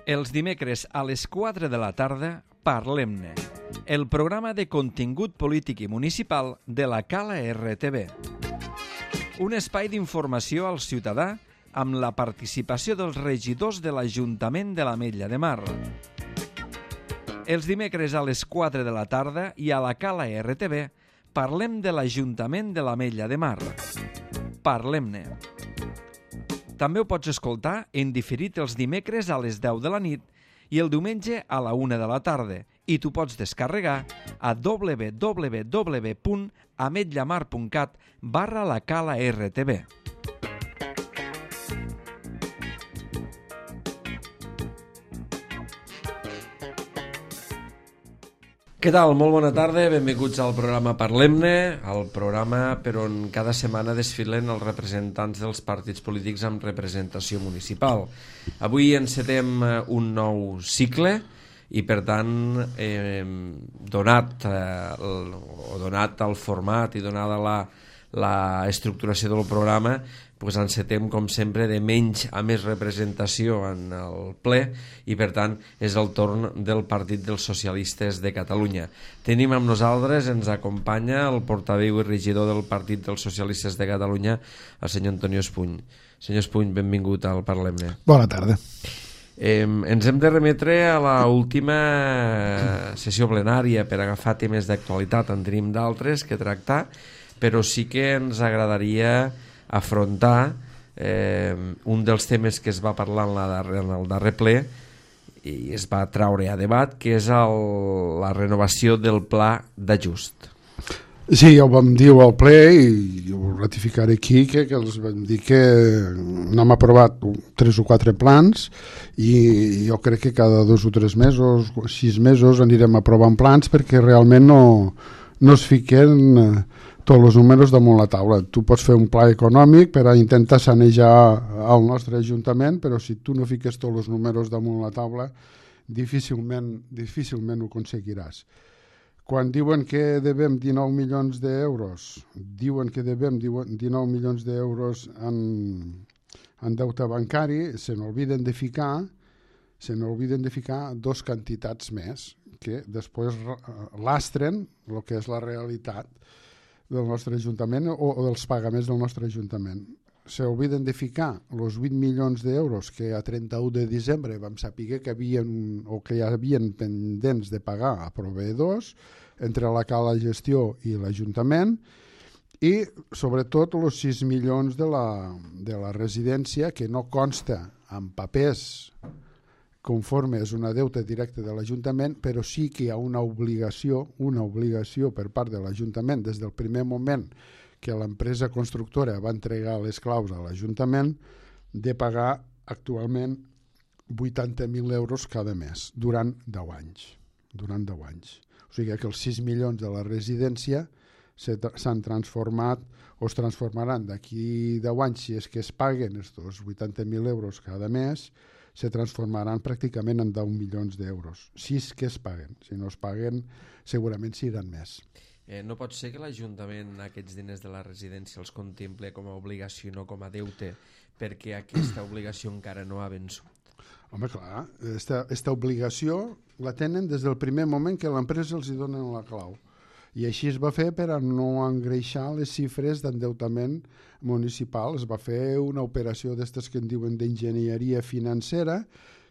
Els dimecres a les 4 de la tarda, Parlem-ne, el programa de contingut polític i municipal de la Cala RTV. Un espai d'informació al ciutadà amb la participació dels regidors de l'Ajuntament de l'Ametlla de Mar. Els dimecres a les 4 de la tarda i a la Cala RTV parlem de l'Ajuntament de l'Ametlla de Mar. Parlem-ne. També ho pots escoltar en diferit els dimecres a les 10 de la nit i el diumenge a la 1 de la tarda i t'ho pots descarregar a www.ametllamar.cat/la Cala RTV. Què tal? Molt bona tarda, benvinguts al programa Parlem-ne, el programa per on cada setmana desfilen els representants dels partits polítics amb representació municipal. Avui encetem un nou cicle i per tant, donat el format i donada la estructuració del programa, doncs encetem, com sempre, de menys a més representació en el ple i, per tant, és el torn del Partit dels Socialistes de Catalunya. Tenim amb nosaltres, ens acompanya el portaveu i regidor del Partit dels Socialistes de Catalunya, el senyor Antonio Espuny. Senyor Espuny, benvingut al Parlem-ne. Bona tarda. Ens hem de remetre a l'última sessió plenària per agafar temes d'actualitat. En tenim d'altres que tractar, però sí que ens agradaria afrontar un dels temes que es va parlar en el darrer ple i es va traure a debat, que és la renovació del pla d'ajust. Sí, ja ho vam dir al ple i ho ratificaré aquí, que els vam dir que n'hem aprovat 3 o 4 plans i jo crec que cada 2 o 3 mesos, 6 mesos anirem aprovant plans perquè realment no es fiquen tots els números damunt la taula. Tu pots fer un pla econòmic per a intentar sanejar el nostre Ajuntament, però si tu no fiques tots els números damunt la taula, difícilment ho aconseguiràs. Quan diuen que devem 19 milions d'euros, en deute bancari, se n'obliden de ficar 2 quantitats més, que després lastren el que és la realitat del nostre Ajuntament o dels pagaments del nostre Ajuntament. S'obliden de ficar els 8 milions d'euros que a 31 de desembre vam saber que hi havien pendents de pagar a proveïdors entre la Cala Gestió i l'Ajuntament i sobretot els 6 milions de la residència que no consta en papers conforme és una deuta directa de l'Ajuntament, però sí que hi ha una obligació per part de l'Ajuntament des del primer moment que l'empresa constructora va entregar les claus a l'Ajuntament de pagar actualment 80.000 euros cada mes durant 10 anys. O sigui que els 6 milions de la residència s'han transformat o es transformaran d'aquí 10 anys, si és que es paguen aquests 80.000 euros cada mes, se transformaran pràcticament en 10 milions d'euros, si és que es paguen. Si no es paguen, segurament seran més. No pot ser que l'Ajuntament aquests diners de la residència els contemple com a obligació i no com a deute, perquè aquesta obligació encara no ha vençut. Home, clar, aquesta obligació la tenen des del primer moment que l'empresa els hi donen la clau. I així es va fer per a no engreixar les xifres d'endeutament municipal. Es va fer una operació d'estes que en diuen d'enginyeria financera,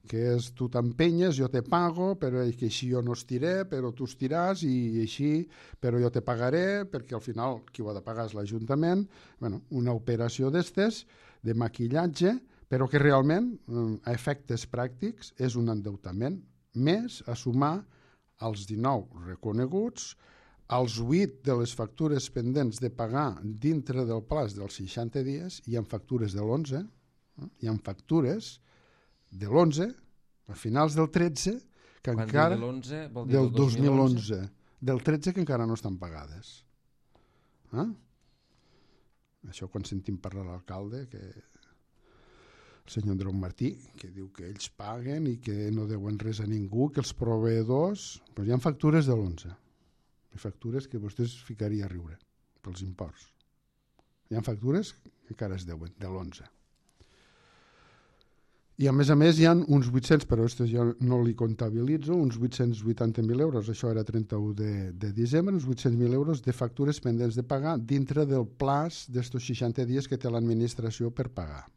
que és tu t'empenyes, jo te pago, però que així jo no estiré, però tu estiràs i així, però jo te pagaré, perquè al final qui ho ha de pagar és l'Ajuntament. Bueno, una operació d'estes, de maquillatge, però que realment, a efectes pràctics, és un endeutament més a sumar als 19 reconeguts, als 8 de les factures pendents de pagar dintre del plaç dels 60 dies i en factures de l'11, i en factures de l'11, a finals del 13, que quan encara... Del 11, vol dir del 2011. Del 13 que encara no estan pagades. Això quan sentim parlar l'alcalde, que el senyor Andreu Martí, que diu que ells paguen i que no deuen res a ningú, que els proveïdors... Doncs hi ha factures de l'11. Factures que vostès ficaria a riure pels imports. Hi ha factures que encara es deuen, de l'11. I a més hi ha uns 800, però això ja no li comptabilitzo, uns 880.000 euros, això era 31 de desembre, uns 800.000 euros de factures pendents de pagar dintre del plaç d'estos 60 dies que té l'administració per pagar.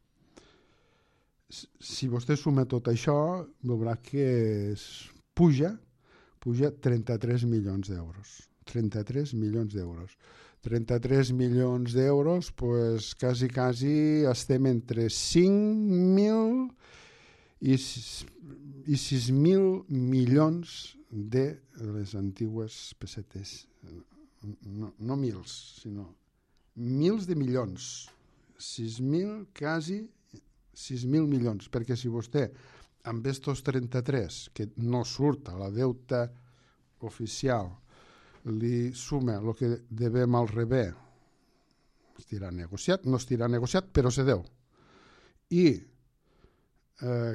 Si vostè suma tot això, veurà que puja 33 milions d'euros. 33 milions d'euros. 33 milions d'euros, pues, quasi estem entre 5.000 i 6.000 milions de les antigues pessetes. No mils, sinó mils de milions. 6.000, quasi 6.000 milions, perquè si vostè amb estos 33, que no surt a la deuta oficial, li suma el que devem al rebé, estirà negociat, no estirà negociat, però se deu. I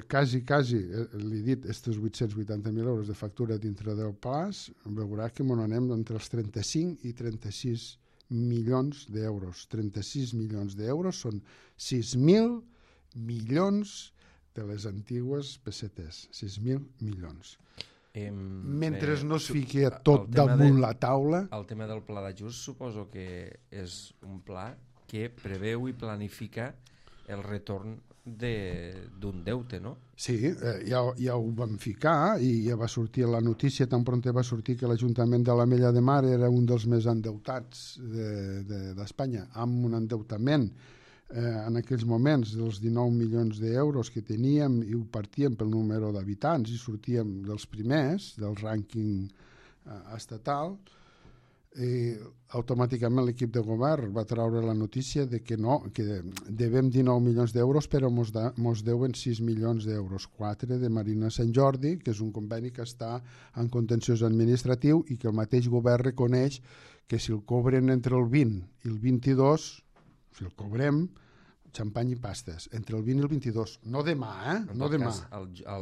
quasi, li he dit, estos 880.000 euros de factura dintre del plaç, veurà que m'on anem entre els 35 i 36 milions d'euros. 36 milions d'euros són 6.000 milions de les antigues pessetes. 6.000 milions. Mentre no es fiqui tot damunt la taula... El tema del pla d'ajust suposo que és un pla que preveu i planifica el retorn d'un deute, no? Sí, ja ho vam ficar i ja va sortir la notícia, tan pronta va sortir que l'Ajuntament de l'Ametlla de Mar era un dels més endeutats d'Espanya, amb un endeutament en aquells moments dels 19 milions d'euros que teníem i ho partíem pel número d'habitants i sortíem dels primers del rànquing estatal, i automàticament l'equip de govern va treure la notícia de que no, que devem 19 milions d'euros però mos deuen 6 milions d'euros, 4 de Marina Sant Jordi, que és un conveni que està en contenciós administratiu i que el mateix govern reconeix que si el cobren entre el 20 i el 22, si el cobrem, xampany i pastes, entre el 20 i el 22. No demà, no demà.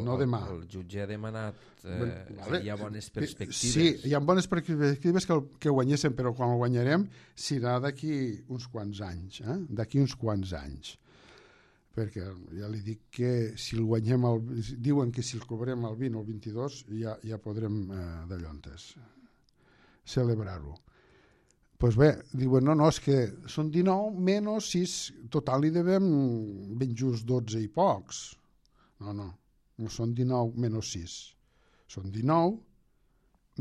No demà. El jutge ha demanat hi ha bones perspectives. Sí, hi ha bones perspectives que guanyéssim, però quan ho guanyarem serà d'aquí uns quants anys. D'aquí uns quants anys. Perquè ja li dic que si el guanyem, diuen que si el cobrem el 20 o el 22 ja podrem d'allontes celebrar-ho. Doncs bé, diuen, no, és que són 19 menys 6, total li devem ben just 12 i pocs. No són 19 menys 6. Són 19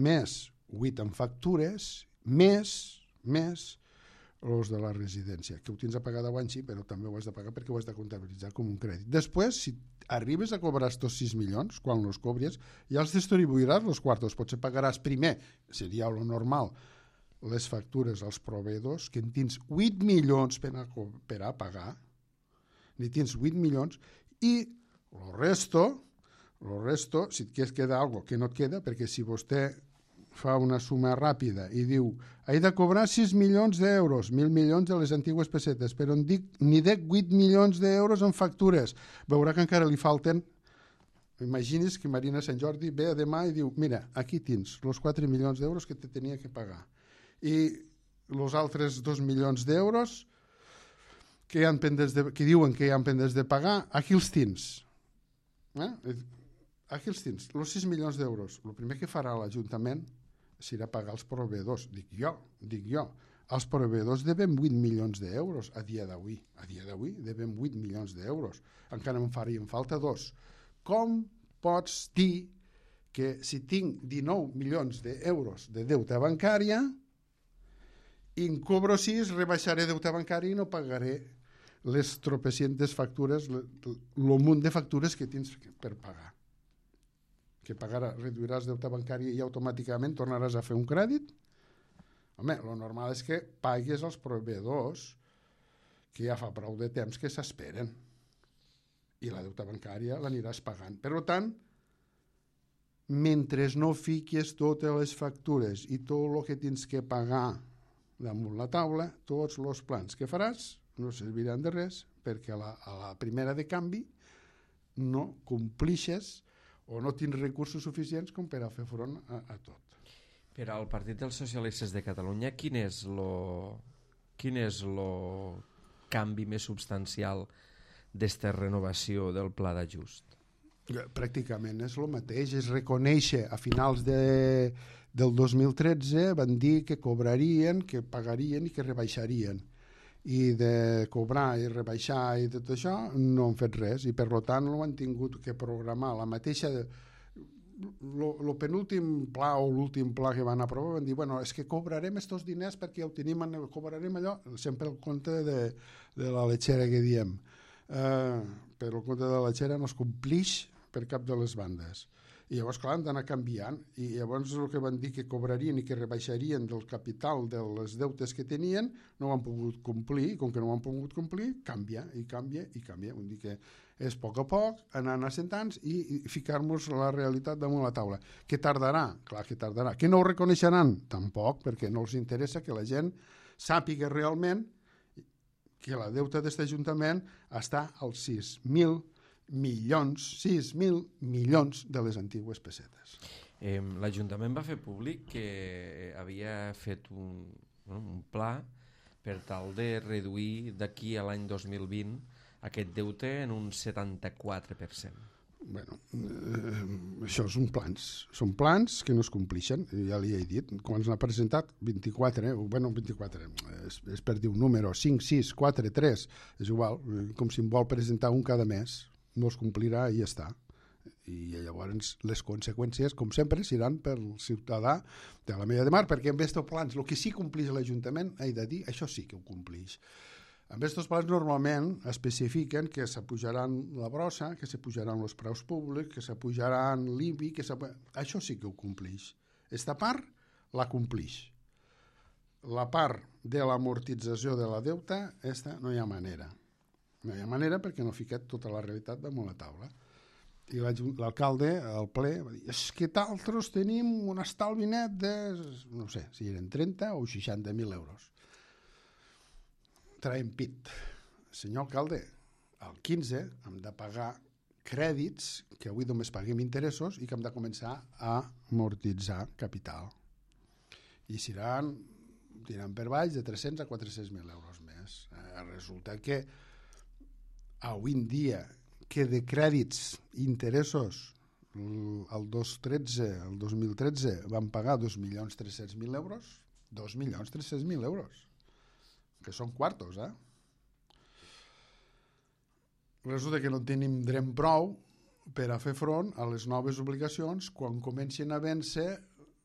més 8 en factures, més els de la residència, que ho tens a pagar de guany, sí, però també ho has de pagar perquè ho has de comptabilitzar com un crèdit. Després, si arribes a cobrar estos 6 milions, quan els cobres, ja els distribuiràs els quartos. Potser pagaràs primer, seria lo normal, les factures als proveïdors, que en tens 8 milions per a pagar, ni tens 8 milions, i el resto, si et queda alguna cosa que no et queda, perquè si vostè fa una suma ràpida i diu, he de cobrar 6 milions d'euros, 1.000 milions de les antigues pessetes, però n'hi dec 8 milions d'euros en factures, veurà que encara li falten. Imagini's que Marina Sant Jordi ve demà i diu, mira, aquí tens els 4 milions d'euros que te tenia que pagar. I els altres 2 milions d'euros que diuen que hi ha pendents de pagar, aquí els tens. Aquí els tens, els 6 milions d'euros. El primer que farà l'Ajuntament serà pagar els proveïdors. Dic jo. Els proveïdors devem 8 milions d'euros a dia d'avui. A dia d'avui devem 8 milions d'euros. Encara em farien falta 2. Com pots dir que si tinc 19 milions d'euros de deute bancària, i en cobro 6, rebaixaré deute bancari i no pagaré les tropecientes factures, el munt de factures que tens per pagar. Que reduiràs deute bancari i automàticament tornaràs a fer un crèdit? Home, el normal és que pagues als proveïdors que ja fa prou de temps que s'esperen. I la deuta bancària l'aniràs pagant. Per tant, mentre no fiques totes les factures i tot el que tens que pagar damunt la taula, tots els plans que faràs no serviran de res perquè a la primera de canvi no complixes o no tens recursos suficients com per a fer front a tot. Per al Partit dels Socialistes de Catalunya, quin és el canvi més substancial d'esta renovació del pla d'ajust? Pràcticament és el mateix, és reconèixer a finals del 2013 van dir que cobrarien, que pagarien i que rebaixarien, i de cobrar i rebaixar i tot això no han fet res, i per tant no han tingut que programar la mateixa. El penúltim pla o l'últim pla que van aprovar van dir, bueno, és que cobrarem estos diners perquè ho tenim, cobrarem allò, sempre el compte de la letxera que diem, però el compte de la letxera no es complix per cap de les bandes. I llavors, clar, han d'anar canviant, i llavors el que van dir que cobrarien i que rebaixarien del capital de les deutes que tenien no ho han pogut complir, i com que no ho han pogut complir, canvia, i canvia, i canvia. Vull dir que és a poc, anant assentant i ficar-nos la realitat damunt la taula. Que tardarà? Clar que tardarà. Que no ho reconeixeran? Tampoc, perquè no els interessa que la gent sàpiga realment que la deuta d'aquest Ajuntament està als 6.000 milions de les antigues pessetes. L'Ajuntament va fer públic que havia fet un pla per tal de reduir d'aquí a l'any 2020 aquest deute en un 74%. Bueno, això són plans que no es complixen, ja li he dit, quan s'ha presentat 24, és per dir un número, 5, 6, 4, 3, és igual, com si em vol presentar un cada mes, no es complirà i ja està. I llavors les conseqüències, com sempre, seran pel ciutadà de la Media de Mar, perquè amb aquests plans, el que sí complix l'Ajuntament, he de dir, això sí que ho complix. Amb aquests plans normalment especifiquen que s'apujaran la brossa, que s'apujaran els preus públics, que s'apujaran l'IBI, això sí que ho complix. Aquesta part la complix. La part de l'amortització de la deuta, no hi ha manera. No hi ha manera perquè no ha ficat tota la realitat damunt la taula. I l'alcalde, al ple, va dir, és que nosaltres tenim un estalvi net de, no sé, si eren 30 o 60.000 euros. Traiem pit. Senyor alcalde, al 15 hem de pagar crèdits, que avui només paguem interessos, i que hem de començar a amortitzar capital. I tiraran per baix de 300 a 400.000 euros més. Resulta que avui en dia que de crèdits interessos el 2013 van pagar 2.300.000 euros, 2.300.000 euros, que són quartos, Resulta que no tenim dret prou per a fer front a les noves obligacions quan comencin a vèncer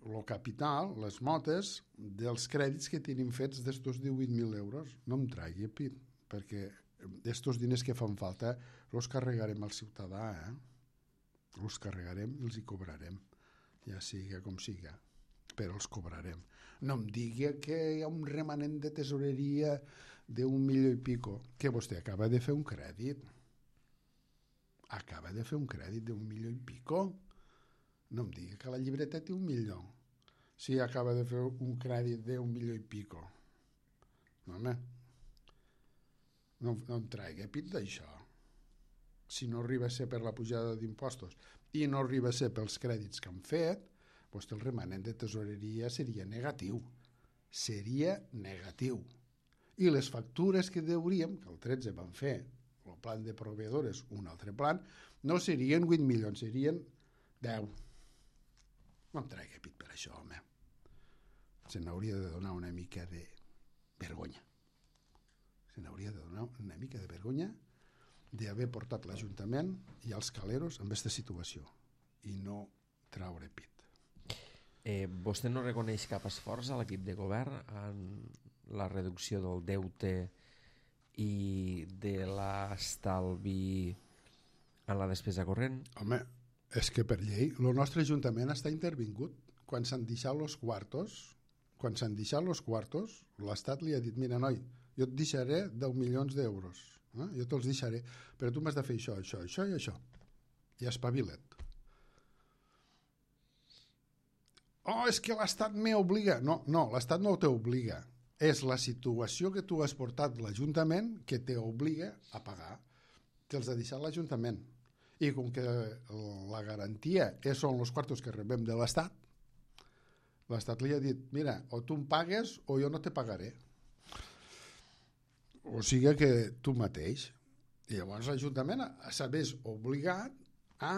el capital, les motes, dels crèdits que tenim fets d'estos 18.000 euros. No em tregui pit, perquè d'estos diners que fan falta els carregarem al ciutadà, els carregarem i els hi cobrarem, ja siga com siga, però els cobrarem. No em digui que hi ha un remanent de tesoreria d'1 milió i pico, que vostè acaba de fer un crèdit. Acaba de fer un crèdit d'1 milió i pico. No em digui que la llibreta té 1 milió. Si acaba de fer un crèdit d'1 milió i pico. No, home, no em traigui pit d'això. Si no arriba a ser per la pujada d'impostos i no arriba a ser pels crèdits que han fet, doncs el remanent de tesoreria seria negatiu. Seria negatiu. I les factures que deuríem, que el 13 van fer el plan de proveïdores, un altre plan, no serien 8 milions, serien 10. No em tregui pit per això, home. Se n'hauria de donar una mica de vergonya. Se n'hauria de donar una mica de vergonya d'haver portat l'Ajuntament i els caleros en aquesta situació i no traure pit. Vostè no reconeix cap esforç a l'equip de govern en la reducció del deute i de l'estalvi en la despesa corrent? Home, és que per llei el nostre Ajuntament està intervingut. Quan s'han deixat els quartos, l'Estat li ha dit, mira, noi, jo et deixaré 10 milions d'euros, jo te'ls deixaré, però tu m'has de fer això i això. I espavila't. Oh, és que l'Estat m'obliga. No, l'Estat no t'obliga. És la situació que tu has portat l'Ajuntament que t'obliga a pagar. Te'ls ha deixat l'Ajuntament. I com que la garantia són els quartos que rebem de l'Estat, l'Estat li ha dit, mira, o tu em pagues o jo no te pagaré. O sigui que tu mateix. I llavors l'Ajuntament s'ha vist obligat a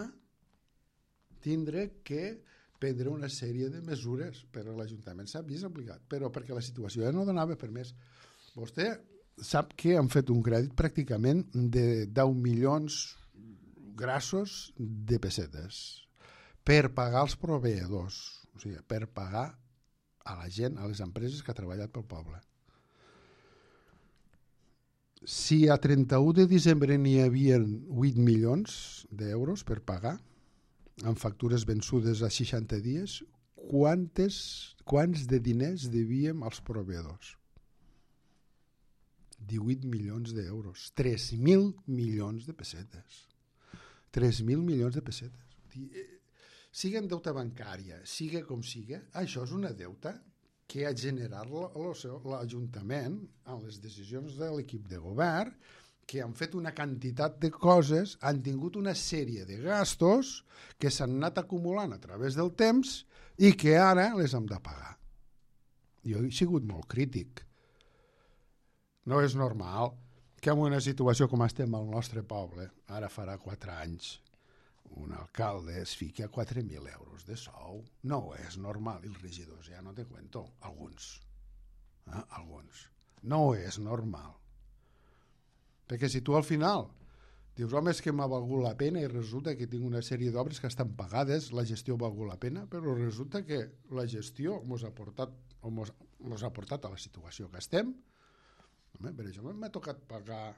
tindre que prendre una sèrie de mesures, però l'Ajuntament s'ha vist obligat, però perquè la situació ja no donava per més. Vostè sap que han fet un crèdit pràcticament de 10 milions grassos de pessetes per pagar els proveïdors, o sigui, per pagar a la gent, a les empreses que ha treballat pel poble. Si a 31 de desembre n'hi havia 8 milions d'euros per pagar, amb factures vençudes a 60 dies, quants de diners devíem als proveïdors? 18 milions d'euros. 3.000 milions de pessetes. 3.000 milions de pessetes. Siga en deuta bancària, siga com siga, això és una deuta que ha generat l'Ajuntament en les decisions de l'equip de govern, que han fet una quantitat de coses, han tingut una sèrie de gastos que s'han anat acumulant a través del temps i que ara les hem de pagar. Jo he sigut molt crític. No és normal que en una situació com estem al nostre poble, ara farà 4 anys, un alcalde es fiqui a 4.000 euros de sou. No és normal. I els regidors, ja no te cuento, alguns. Alguns. No és normal. Perquè si tu al final dius, home, és que m'ha valgut la pena i resulta que tinc una sèrie d'obres que estan pagades, la gestió ha valgut la pena, però resulta que la gestió mos ha portat a la situació que estem. Home, per això m'ha tocat pagar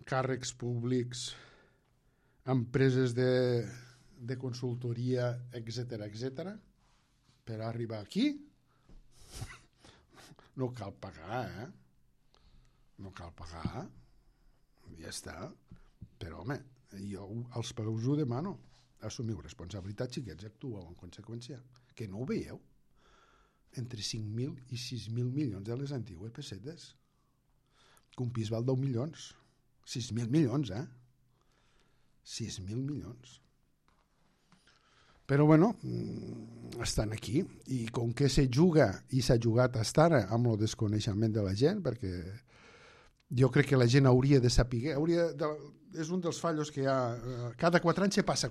càrrecs públics, empreses de consultoria, etc., per arribar aquí. No cal pagar, No cal pagar. Ja està. Però, home, jo als peus ho demano. Assumiu responsabilitat, xiquets, actueu en conseqüència. Que no ho veieu? Entre 5.000 i 6.000 milions de les antigues pessetes. Que un pis val 10 milions. 6.000 milions, 6.000 milions. Però, bueno, estan aquí. I com que se juga i s'ha jugat fins ara amb el desconeixement de la gent, perquè jo crec que la gent hauria de saber, és un dels fallos que hi ha, cada 4 anys se passen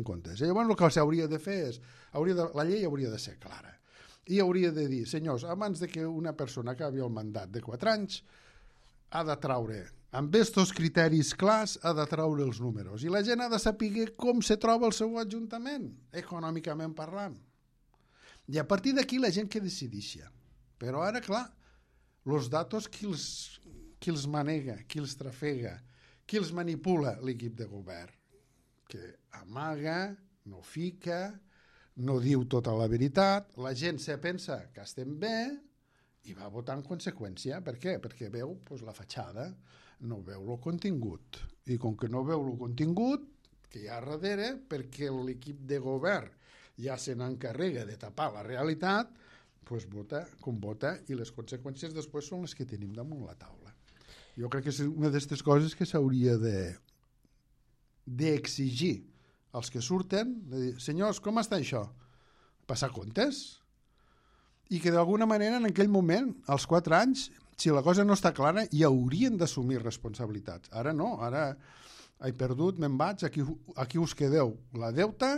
comptes. I llavors el que s'hauria de fer és, la llei hauria de ser clara. I hauria de dir, senyors, abans de que una persona acabi el mandat de 4 anys, ha de traure, amb estos criteris clars, ha de traure els números. I la gent ha de saber com se troba el seu ajuntament, econòmicament parlant. I a partir d'aquí la gent que decideixi. Però ara, clar, els datos qui els manega, qui els trafega, qui els manipula? L'equip de govern, que amaga, no fica, no diu tota la veritat, la gent se pensa que estem bé i va votar en conseqüència. Per què? Perquè veu la fatxada, no veu el contingut. I com que no veu el contingut que hi ha darrere, perquè l'equip de govern ja se n'encarrega de tapar la realitat, vota com vota i les conseqüències després són les que tenim damunt la taula. Jo crec que és una d'aquestes coses que s'hauria d'exigir als que surten, de dir, senyors, com està això? Passar comptes? I que d'alguna manera en aquell moment, als 4 anys, si la cosa no està clara, hi haurien d'assumir responsabilitats. Ara no, ara he perdut, me'n vaig, aquí us quedeu la deuta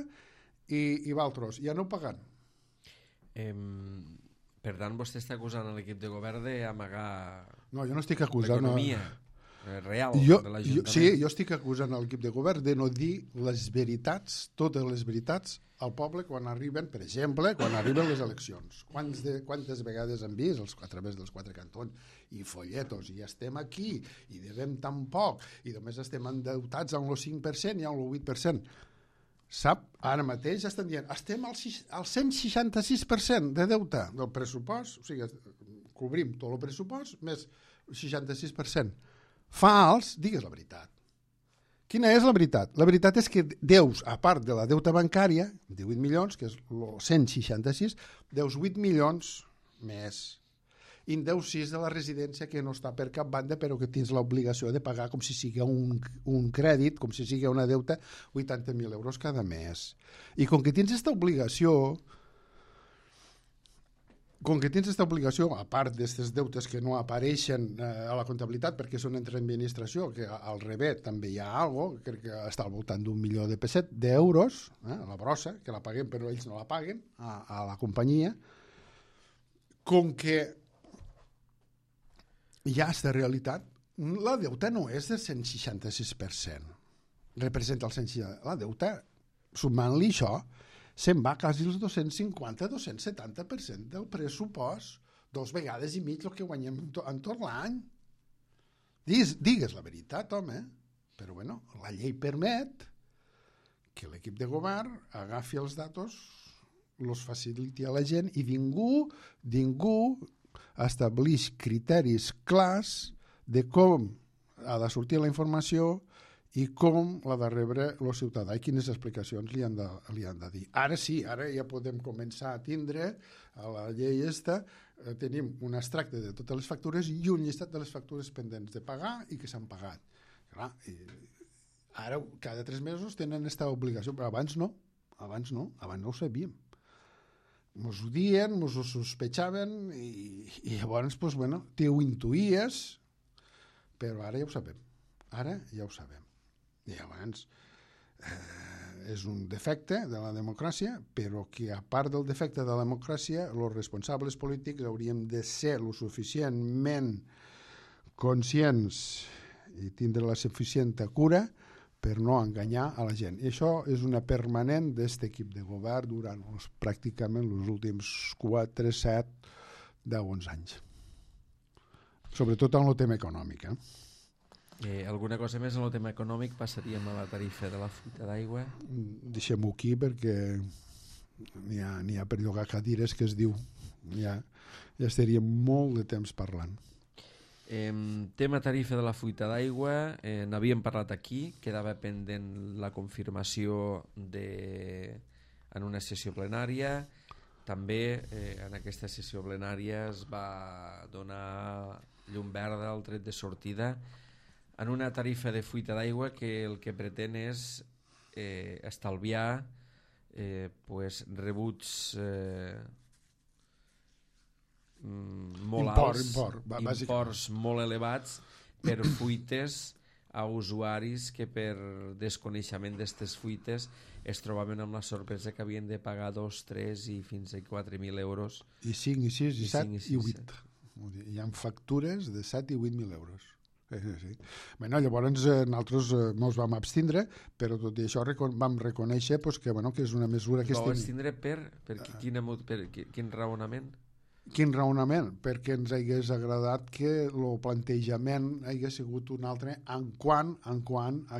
i valtros, ja no ho pagant. Per tant, vostè està acusant l'equip de govern d'amagar no estic acusant l'economia real de l'Ajuntament. Sí, jo estic acusant l'equip de govern de no dir les veritats, totes les veritats, al poble quan arriben, per exemple, quan arriben les eleccions. Quantes vegades hem vist a través dels 4 cantons i folletos, i estem aquí, i devem tan poc, i només estem endeutats amb el 5% i amb el 8%. Sap, ara mateix estan dient, estem al 166% de deute del pressupost, o sigui, cobrim tot el pressupost, més 66%. Fals, digues la veritat. Quina és la veritat? La veritat és que deus, a part de la deuta bancària, 18 milions, que és el 166, deus 8 milions més. I en deus 6 de la residència que no està per cap banda, però que tens l'obligació de pagar com si sigui un crèdit, com si sigui una deuta, 80.000 euros cada mes. I com que tens aquesta obligació, Com que tens aquesta obligació, a part d'aquests deutes que no apareixen a la comptabilitat perquè són entre administració, que al revés també hi ha alguna cosa, crec que està al voltant d'un milió d'euros, la brossa, que la paguem però ells no la paguen a la companyia, com que hi ha aquesta realitat, la deuta no és del 166%, representa el 160%, la deuta, sumant-li això, se'n va quasi el 250-270% del pressupost, 2 vegades i mig el que guanyem en tot l'any. Digues la veritat, home. Però bueno, la llei permet que l'equip de govern agafi els datos, els faciliti a la gent i ningú estableix criteris clars de com ha de sortir la informació i com l'ha de rebre el ciutadà i quines explicacions li han de dir. Ara sí, ara ja podem començar a tindre a la llei tenim un extracte de totes les factures i un llistat de les factures pendents de pagar i que s'han pagat. Clar, ara cada 3 mesos tenen aquesta obligació, però abans no ho sabíem. Mos ho dien, mos ho sospechaven i llavors, doncs, bueno, ho intuïes, però ara ja ho sabem. I llavors és un defecte de la democràcia, però que a part del defecte de la democràcia, els responsables polítics hauríem de ser lo suficientment conscients i tindre la suficient cura per no enganyar a la gent. I això és una permanent d'aquest equip de govern durant pràcticament els últims 4, 7, 10 anys. Sobretot en el tema econòmic, alguna cosa més en el tema econòmic? Passaríem a la tarifa de la fuita d'aigua. Deixem-ho aquí perquè n'hi ha per llogar cadires que es diu. Ja estaríem molt de temps parlant. Tema tarifa de la fuita d'aigua, n'havíem parlat aquí, quedava pendent la confirmació en una sessió plenària. També en aquesta sessió plenària es va donar llum verda al tret de sortida en una tarifa de fuita d'aigua que el que pretén és estalviar rebuts molt alts, imports molt elevats per fuites a usuaris que per desconeixement d'aquestes fuites es trobaven amb la sorpresa que havien de pagar 2, 3 i fins a 4.000 euros. I 5, i 6, i 7, i 8. Hi ha factures de 7 i 8.000 euros. Sí. Bueno, llavors nosaltres ens vam abstindre, però tot i això vam reconèixer que és una mesura que vau abstindre per quin raonament? Quin raonament? Perquè ens hagués agradat que el plantejament hagués sigut un altre en quant a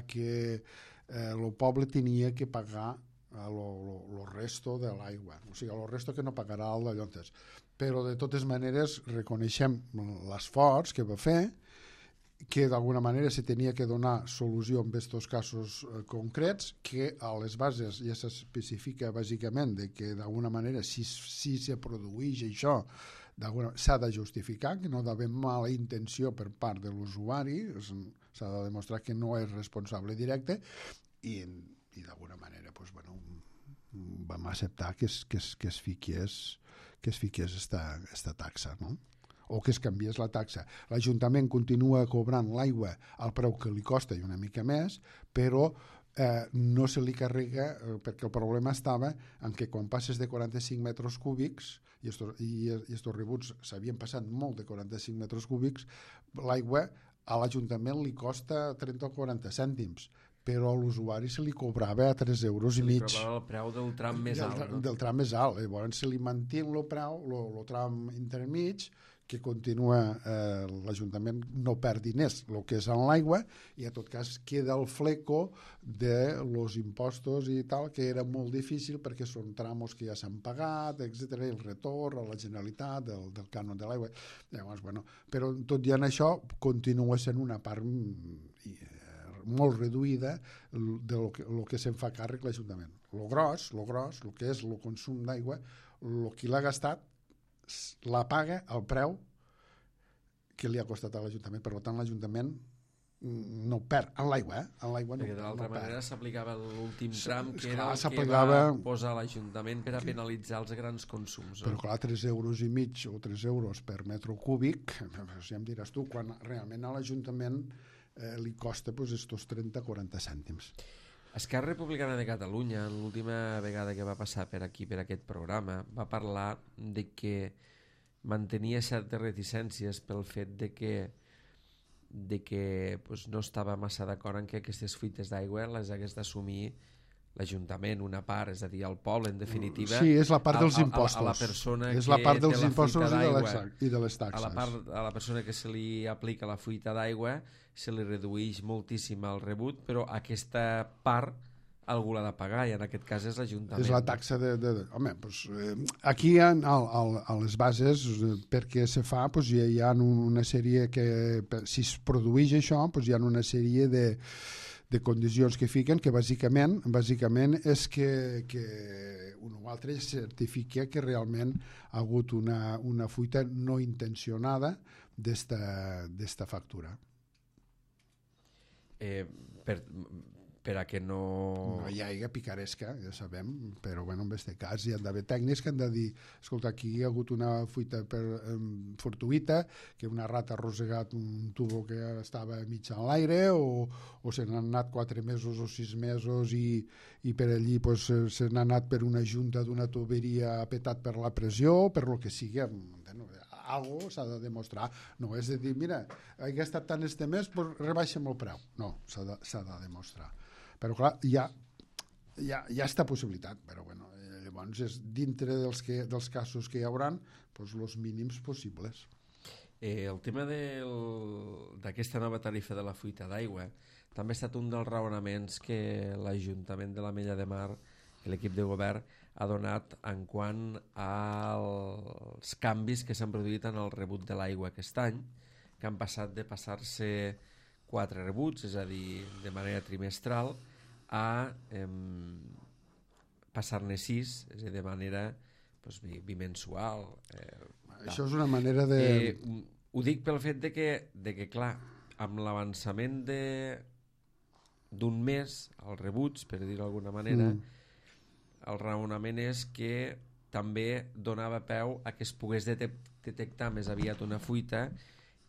que el poble tenia que pagar el resto de l'aigua, o sigui, el resto que no pagarà el de Llontes. Però de totes maneres reconeixem l'esforç que va fer, que d'alguna manera se tenia que donar solució en aquests casos concrets, que a les bases ja s'especifica bàsicament de que d'alguna manera si se produeix això s'ha de justificar, que no hi ha d'haver mala intenció per part de l'usuari, s'ha de demostrar que no és responsable directe i d'alguna manera vam acceptar que es fiqués esta taxa, no? O que es canviés la taxa. L'Ajuntament continua cobrant l'aigua al preu que li costa i una mica més, però no se li carrega, perquè el problema estava en que quan passes de 45 metres cúbics, i estos rebuts s'havien passat molt de 45 metres cúbics, l'aigua a l'Ajuntament li costa 30 o 40 cèntims, però a l'usuari se li cobrava a 3 euros i mig. Se li cobrava el preu del tram més alt, no? Del tram més alt. Llavors se li manté el preu, el tram intermig, que continua, l'Ajuntament no perd diners, el que és en l'aigua, i en tot cas queda el fleco de los impostos i tal, que era molt difícil perquè són tramos que ja s'han pagat, etc., el retorn a la Generalitat del cànon de l'aigua. Llavors, però tot i en això continua sent una part molt reduïda del que se'n fa càrrec l'Ajuntament. Lo gros, el que és el consum d'aigua, el que l'ha gastat la paga al preu que li ha costat a l'Ajuntament. Per tant, l'Ajuntament no perd, en l'aigua, en l'aigua no. Perquè de l'altra manera s'aplicava l'últim tram, que clar, era el que s'aplicava... va posar l'Ajuntament per a penalitzar els grans consums. Però clar, 3,5 euros o 3 euros per metre cúbic, ja em diràs tu, quan realment a l'Ajuntament li costa estos 30-40 cèntims. Esquerra Republicana de Catalunya, l'última vegada que va passar per aquí, per aquest programa, va parlar de que mantenia certes reticències pel fet de que no estava massa d'acord en que aquestes fuites d'aigua les hagués d'assumir l'Ajuntament, una part, és a dir, el poble, en definitiva. Sí, és la part dels impostos. A la persona és la part dels impostos i de les taxes. A la persona que se li aplica la fuita d'aigua se li redueix moltíssim el rebut, però aquesta part algú l'ha de pagar, i en aquest cas és l'Ajuntament. És la taxa Home, doncs, aquí a les bases, perquè se fa, doncs, hi ha una sèrie que, si es produeix això, doncs, hi ha una sèrie de condicions que fiquen, que bàsicament és que un o altre certifica que realment ha hagut una fuita no intencionada d'esta factura. Per a que no hi hagi picaresca, ja sabem, però en aquest cas hi ha d'haver tècnics que han de dir, escolta, aquí hi ha hagut una fuita fortuïta, que una rata ha arrossegat un tubo que estava mig en l'aire, o se n'han anat 4 mesos o 6 mesos i per allí se n'ha anat per una junta d'una tuberia petat per la pressió, per lo que sigui, algo s'ha de demostrar. No és de dir, mira, ha gastat tant este mes, rebaixem el preu. No, s'ha de demostrar. Però clar, hi ha aquesta possibilitat, però bueno, llavors és dintre dels casos que hi haurà, doncs els mínims possibles. El tema d'aquesta nova tarifa de la fuita d'aigua també ha estat un dels raonaments que l'Ajuntament de l'Ametlla de Mar i l'equip de govern ha donat en quant als canvis que s'han produït en el rebut de l'aigua aquest any, que han passat de passar-se 4 rebuts, és a dir, de manera trimestral, a passar-ne 6, és a dir, de manera bimensual. Això és una manera de... Ho dic pel fet de que clar, amb l'avançament d'un mes, els rebuts, per dir-ho d'alguna manera, el raonament és que també donava peu a que es pogués detectar més aviat una fuita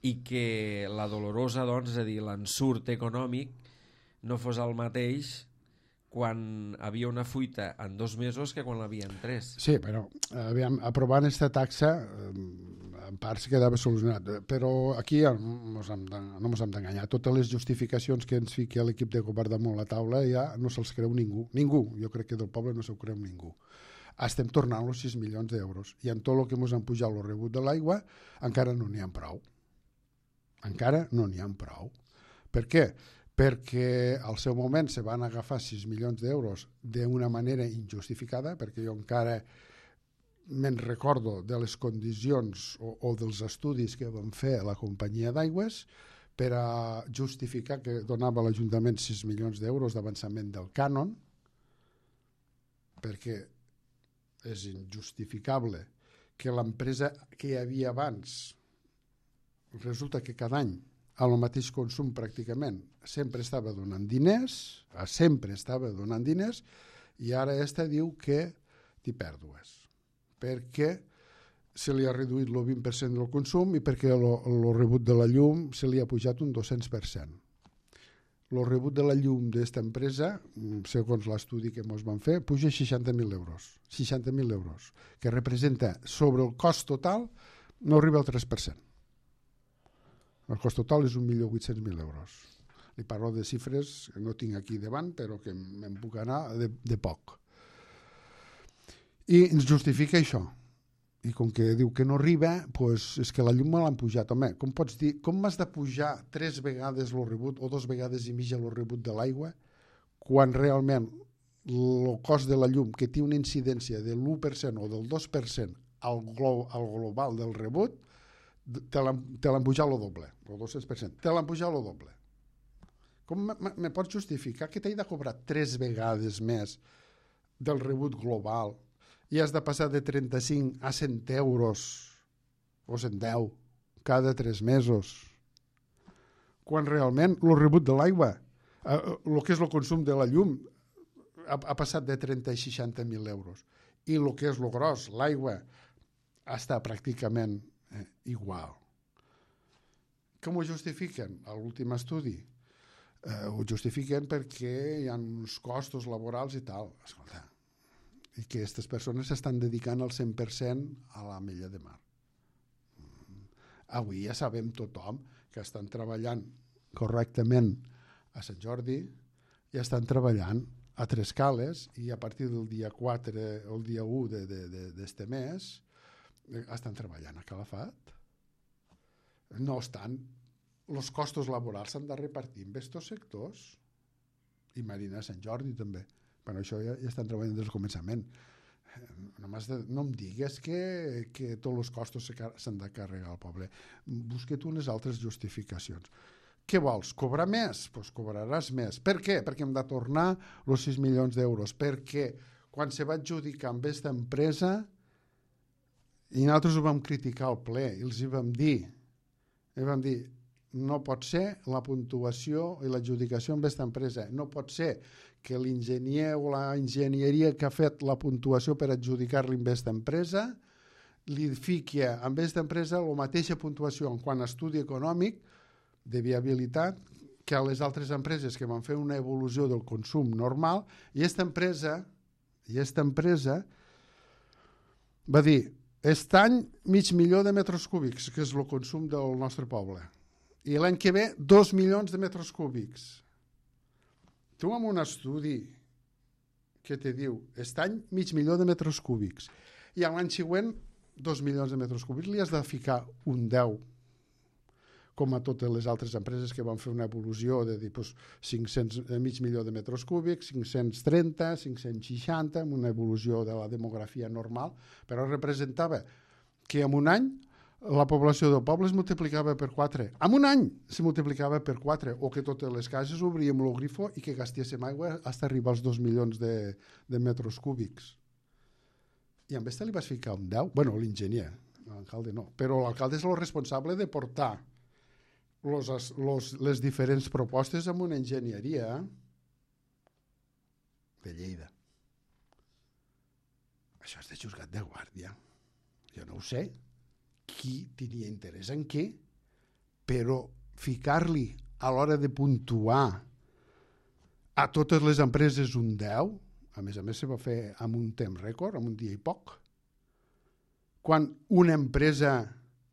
i que la dolorosa, doncs, és a dir, l'ensurt econòmic no fos el mateix quan havia una fuita en 2 mesos que quan l'havia en 3. Sí, però aprovant aquesta taxa en part se quedava solucionat, però aquí no ens hem d'enganyar. Totes les justificacions que ens fiqui l'equip de govern damunt la taula ja no se'ls creu ningú. Jo crec que del poble no se'l creu ningú. Estem tornant els 6 milions d'euros i en tot el que ens han pujat el rebut de l'aigua encara no n'hi ha prou. Per què? Perquè al seu moment se van agafar 6 milions d'euros d'una manera injustificada, perquè jo encara me'n recordo de les condicions o dels estudis que van fer la companyia d'aigües per a justificar que donava a l'Ajuntament 6 milions d'euros d'avançament del cànon, perquè és injustificable que l'empresa que hi havia abans resulta que cada any al mateix consum pràcticament sempre estava donant diners i ara aquesta diu que té pèrdues perquè se li ha reduït el 20% del consum i perquè el rebut de la llum se li ha pujat un 200%. El rebut de la llum d'aquesta empresa, segons l'estudi que ens van fer, puja 60.000 euros. 60.000 euros, que representa sobre el cost total no arriba al 3%. El cost total és 1.800.000 euros. Li parlo de xifres que no tinc aquí davant, però que me'n puc anar de poc. I ens justifica això. I com que diu que no arriba, doncs és que la llum me l'han pujat. Home, com pots dir, com m'has de pujar 3 vegades el rebut o 2 vegades i mitja el rebut de l'aigua quan realment el cost de la llum, que té una incidència de l'1% o del 2% al global del rebut, te l'han pujat el doble, el 200%. Te l'han pujat el doble. Com me pots justificar que t'he de cobrar 3 vegades més del rebut global i has de passar de 35 a 100 euros o 110 cada 3 mesos quan realment el rebut de l'aigua, el que és el consum de la llum, ha passat de 30 a 60.000 euros. I el que és el gros, l'aigua, està pràcticament igual. Com ho justifiquen? A l'últim estudi ho justifiquen perquè hi ha uns costos laborals i tal. Escolta, i que aquestes persones s'estan dedicant al 100% a l'Ametlla de Mar. Avui ja sabem tothom que estan treballant correctament a Sant Jordi i estan treballant a Trescales i a partir del dia 4 o el dia 1 d'este mes estan treballant a Calafat. No estan... Els costos laborals s'han de repartir en aquests sectors i Marina Sant Jordi també. Per això ja estan treballant des del començament. No em digues que tots els costos s'han de carregar al poble. Busca't unes altres justificacions. Què vols? Cobrar més? Doncs cobraràs més. Per què? Perquè hem de tornar els 6 milions d'euros. Perquè quan se va adjudicar amb aquesta empresa i nosaltres ho vam criticar al ple i els hi vam dir no pot ser la puntuació i l'adjudicació amb aquesta empresa. No pot ser que l'enginyer o la enginyeria que ha fet la puntuació per adjudicar-li amb aquesta empresa li fiqui amb aquesta empresa la mateixa puntuació en quant a estudi econòmic de viabilitat que a les altres empreses que van fer una evolució del consum normal i aquesta empresa va dir aquest any 500.000 de metres cúbics, que és el consum del nostre poble. I l'any que ve 2 milions de metres cúbics. Tu amb un estudi que te diu aquest any 500.000 de metres cúbics i l'any següent 2 milions de metres cúbics li has de ficar un 10 com a totes les altres empreses que van fer una evolució de dir, doncs, 500.000 de metres cúbics, 530, 560, amb una evolució de la demografia normal, però representava que en un any la població del poble es multiplicava per 4. En un any se multiplicava per 4, o que totes les cases obríem el grifo i que gastéssim aigua fins a arribar als 2 milions de metres cúbics. I amb aquesta li vas ficar un 10. Bueno, l'enginyer, l'alcalde no, però l'alcalde és el responsable de portar les diferents propostes amb una enginyeria de Lleida. Això és de Juzgat de Guàrdia. Jo no ho sé qui tenia interès en què, però ficar-li a l'hora de puntuar a totes les empreses un 10, a més se va fer amb un temps rècord, amb un dia i poc, quan una empresa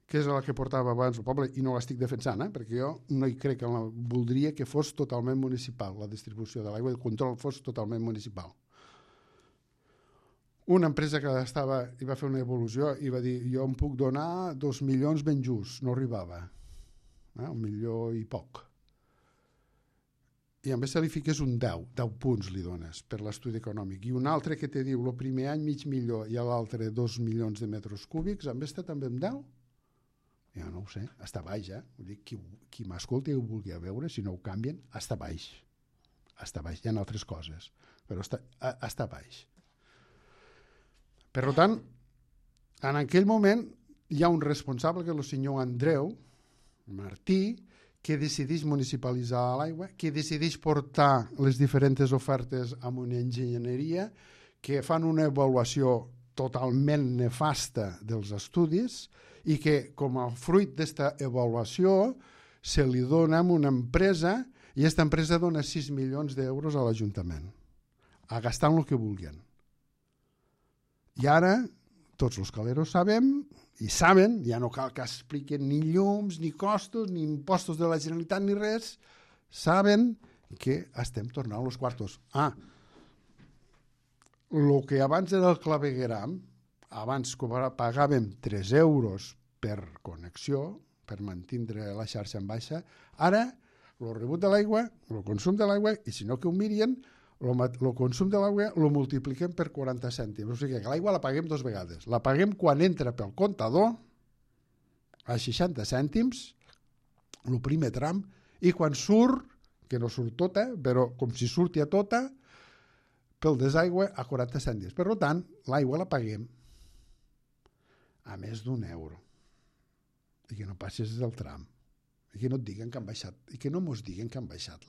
que és la que portava abans el poble, i no l'estic defensant, perquè jo no hi crec, voldria que fos totalment municipal, la distribució de l'aigua i el control fos totalment municipal. Una empresa que i va fer una evolució i va dir, jo em puc donar 2 milions ben just, no arribava, 1 milió i poc. I a més se li fiques un 10 punts li dones per l'estudi econòmic. I un altre que te diu, el primer any mig milió i l'altre 2 milions de metres cúbics, amb aquesta també amb 10? Jo no ho sé, està baix, Vull dir, qui m'escolti i ho vulgui veure, si no ho canvien, està baix. Està baix, hi ha altres coses, però està baix. Per tant, en aquell moment hi ha un responsable, que és el senyor Andreu Martí, que decideix municipalitzar l'aigua, que decideix portar les diferents ofertes amb una enginyeria, que fan una avaluació totalment nefasta dels estudis i que, com a fruit d'esta avaluació, se li dona a una empresa i aquesta empresa dona 6 milions d'euros a l'Ajuntament, a gastar el que vulguin. I ara, tots els caleros saben, ja no cal que expliquen ni llums, ni costos, ni impostos de la Generalitat, ni res, saben que estem tornant els quartos. El que abans era el clavegueram, abans pagàvem 3 euros per connexió, per mantenir la xarxa en baixa, ara el rebut de l'aigua, el consum de l'aigua, i si no que ho mirien, el consum de l'aigua el multipliquem per 40 cèntims. O sigui que l'aigua la paguem 2 vegades. La paguem quan entra pel comptador a 60 cèntims, el primer tram, i quan surt, que no surt tota, però com si surti a tota, pel desaigüe a 40 cèntims. Per tant, l'aigua la paguem a més d'1 euro. I que no passis del tram. i que no et diguen que han baixat, i que no mos diguen que han baixat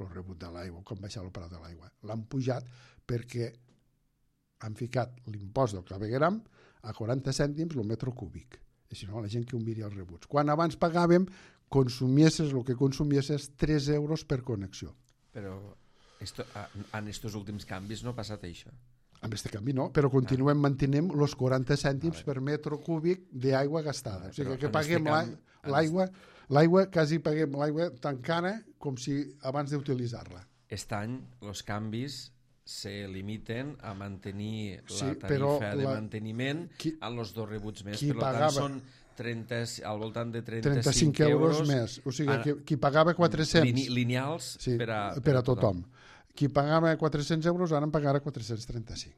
el rebut de l'aigua, que han baixat el preu de l'aigua. L'han pujat perquè han ficat l'impost del clavegueram a 40 cèntims el metre cúbic. I si no, la gent que ho miri els rebuts. Quan abans pagàvem, el que consumiessis 3 euros per connexió. Però en estos últims canvis no ha passat això. Amb aquest canvi no, però continuem mantenint els 40 cèntims per metre cúbic d'aigua gastada. O sigui que paguem l'aigua, quasi paguem l'aigua tan cara com si abans d'utilitzar-la. Aquest any els canvis se limiten a mantenir la tarifa de manteniment en els 2 rebuts més. Per tant, són al voltant de 35 euros més. O sigui, qui pagava 400... lineals per a tothom. Qui pagava 400 euros ara en pagarà 435.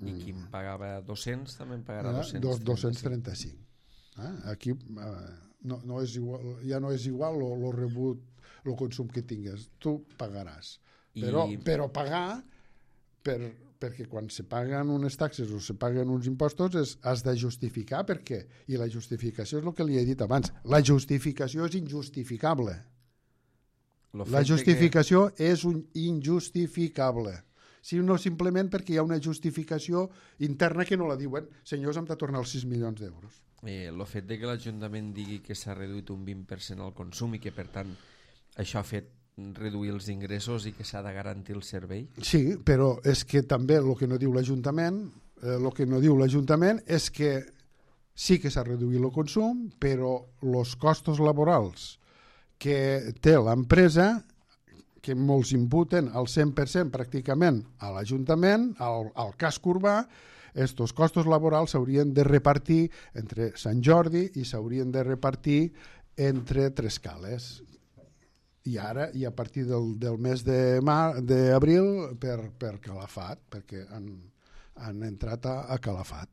I qui pagava 200 també en pagarà 235. 235. Aquí no és igual, ja no és igual el rebut, el consum que tingues. Tu pagaràs. Però pagar, perquè quan se paguen unes taxes o se paguen uns impostos has de justificar per què. I la justificació és el que li he dit abans. La justificació és injustificable. La justificació és injustificable. Si no simplement perquè hi ha una justificació interna que no la diuen. Senyors, hem de tornar els 6 milions d'euros. El fet de que l'Ajuntament digui que s'ha reduït un 20% el consum i que, per tant, això ha fet reduir els ingressos i que s'ha de garantir el servei? Sí, però és que també el que no diu l'Ajuntament és que sí que s'ha reduït el consum, però els costos laborals que té l'empresa, que molts imputen al 100% pràcticament a l'Ajuntament, al casc urbà, aquests costos laborals s'haurien de repartir entre Sant Jordi i s'haurien de repartir entre Trescales. I ara, i a partir del mes d'abril, per Calafat, perquè han entrat a Calafat.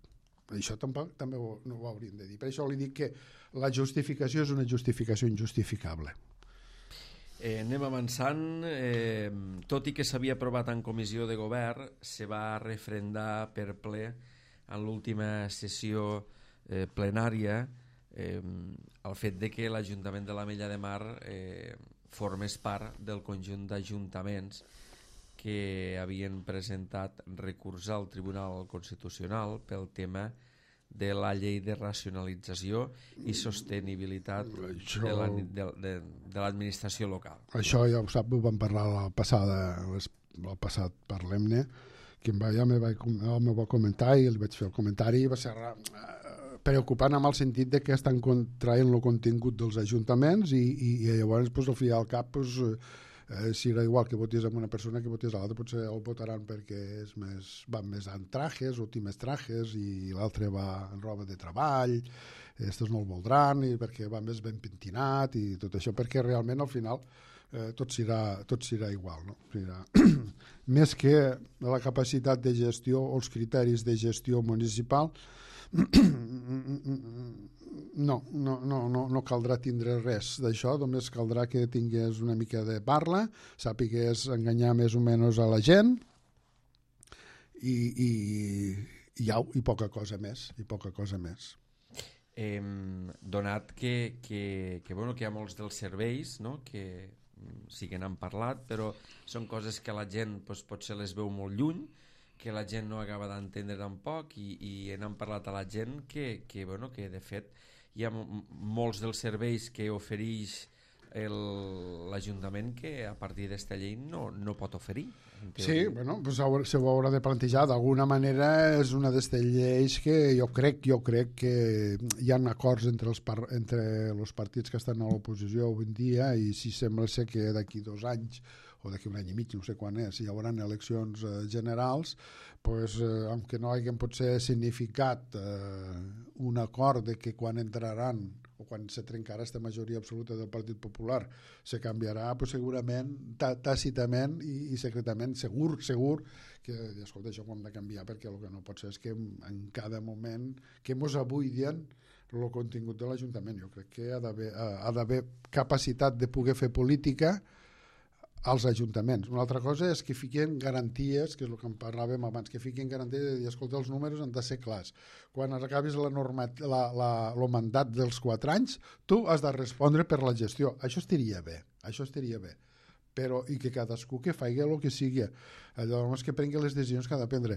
Això també no ho hauríem de dir. Per això li dic que la justificació és una justificació injustificable. Anem avançant. Tot i que s'havia aprovat en comissió de govern, se va refrendar per ple en l'última sessió plenària el fet de que l'Ajuntament de l'Ametlla de Mar formés part del conjunt d'ajuntaments que havien presentat recurs al Tribunal Constitucional pel tema de la llei de racionalització i sostenibilitat de l'administració local. Això ja ho sap, ho vam parlar el passat Parlem-ne, que ja me va comentar i li vaig fer el comentari i va ser preocupant amb el sentit de que estan contraient el contingut dels ajuntaments i llavors al fi i al cap si era igual que votés amb una persona que votés a l'altra, potser el votaran perquè va més en trajes, últimes trajes, i l'altre va en roba de treball, estos no el voldran, i perquè va més ben pentinat i tot això, perquè realment al final tot serà igual, no? Més que la capacitat de gestió o els criteris de gestió municipal, no caldrà tindre res d'això, només caldrà que tingués una mica de parla, sàpigues enganyar més o menys a la gent i poca cosa més. Donat que hi ha molts dels serveis, no?, que sí que n'han parlat, però són coses que la gent potser les veu molt lluny, que la gent no acaba d'entendre tampoc i n'han parlat a la gent que de fet hi ha molts dels serveis que ofereix l'Ajuntament que a partir d'aquesta llei no pot oferir. Sí, se ho haurà de plantejar. D'alguna manera és una d'aquestes lleis que jo crec que hi ha acords entre els partits que estan a l'oposició avui en dia i si sembla ser que d'aquí 2 anys o d'aquí 1 any i mig, no sé quan és, hi haurà eleccions generals, aunque no hagin potser significat un acord de que quan entraran o quan se trencarà aquesta majoria absoluta del Partit Popular se canviarà, segurament tàcitament i secretament segur que, escolta, això ho hem de canviar perquè el que no pot ser és que en cada moment que mos abuiden el contingut de l'Ajuntament. Jo crec que ha d'haver capacitat de poder fer política als ajuntaments. Una altra cosa és que fiquen garanties, que és el que en parlàvem abans, que fiquen garanties de dir, escolta, els números han de ser clars. Quan acabis el mandat dels 4 anys, tu has de respondre per la gestió. Això estaria bé, Però, i que cadascú que faci el que sigui. Llavors que prengui les decisions que ha de prendre.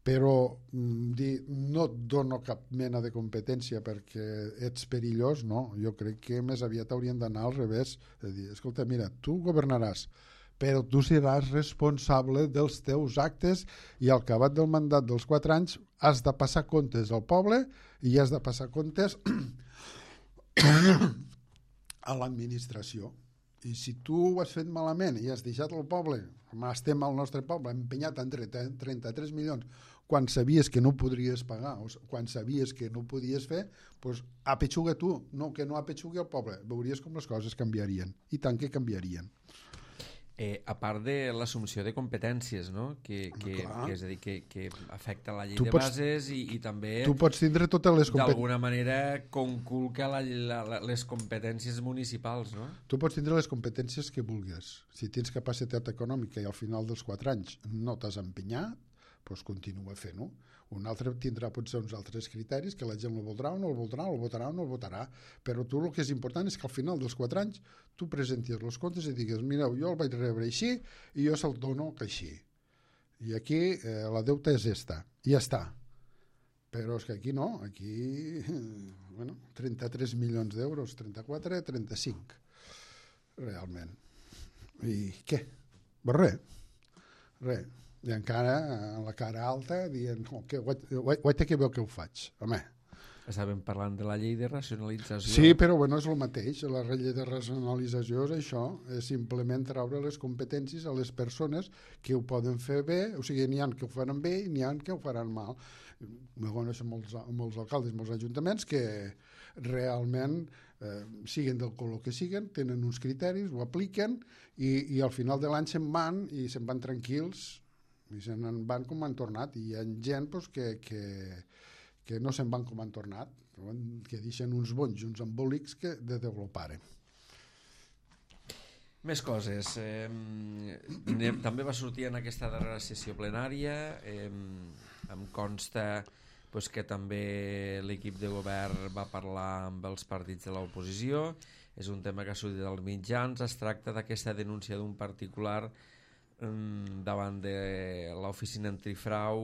Però dir, no et dono cap mena de competència perquè ets perillós, no. Jo crec que més aviat haurien d'anar al revés. De dir, escolta, mira, tu governaràs, però tu seràs responsable dels teus actes i al acabat del mandat dels 4 anys has de passar comptes al poble i has de passar comptes a l'administració. I si tu ho has fet malament i has deixat el poble, com estem al nostre poble, empenyat entre 33 milions, quan sabies que no podries pagar, o quan sabies que no podies fer, doncs apetxuga tu, no que no apetxugui el poble. Veuries com les coses canviarien, i tant que canviarien. A part de l'assumpció de competències, no? que és a dir, que afecta la llei de bases i també tu pots tindre totes les d'alguna manera conculca les competències municipals, no? Tu pots tindre les competències que vulguis. Si tens capacitat econòmica i al final dels 4 anys no t'has empenyat, doncs continua fent-ho. Un altre tindrà potser uns altres criteris, que la gent el voldrà o no el voldrà, el votarà o no el votarà, però tu el que és important és que al final dels 4 anys tu presentis els comptes i digues, mireu, jo el vaig rebre així i jo se'l dono que així. I aquí la deuta és esta, i ja està. Però és que aquí no, aquí 33 milions d'euros, 34, 35, realment. I què? Pues res. I encara a la cara alta dient guaita que veu que ho faig. Home. Estàvem parlant de la llei de racionalització. Sí, però bueno, és el mateix. La llei de racionalització és això, és simplement treure les competències a les persones que ho poden fer bé, o sigui, n'hi ha que ho faran bé i n'hi ha que ho faran mal. Me coneixen molts alcaldes, molts ajuntaments que realment siguen del color que siguen, tenen uns criteris, ho apliquen i al final de l'any se'n van tranquils i se'n van com han tornat, i hi ha gent doncs, que no se'n van com han tornat, que deixen uns bons i uns embòlics que de Déu lo pare. Més coses. També va sortir en aquesta darrera sessió plenària, em consta pues, que també l'equip de govern va parlar amb els partits de l'oposició, és un tema que ha sortit als mitjans, es tracta d'aquesta denúncia d'un particular davant de l'oficina antifrau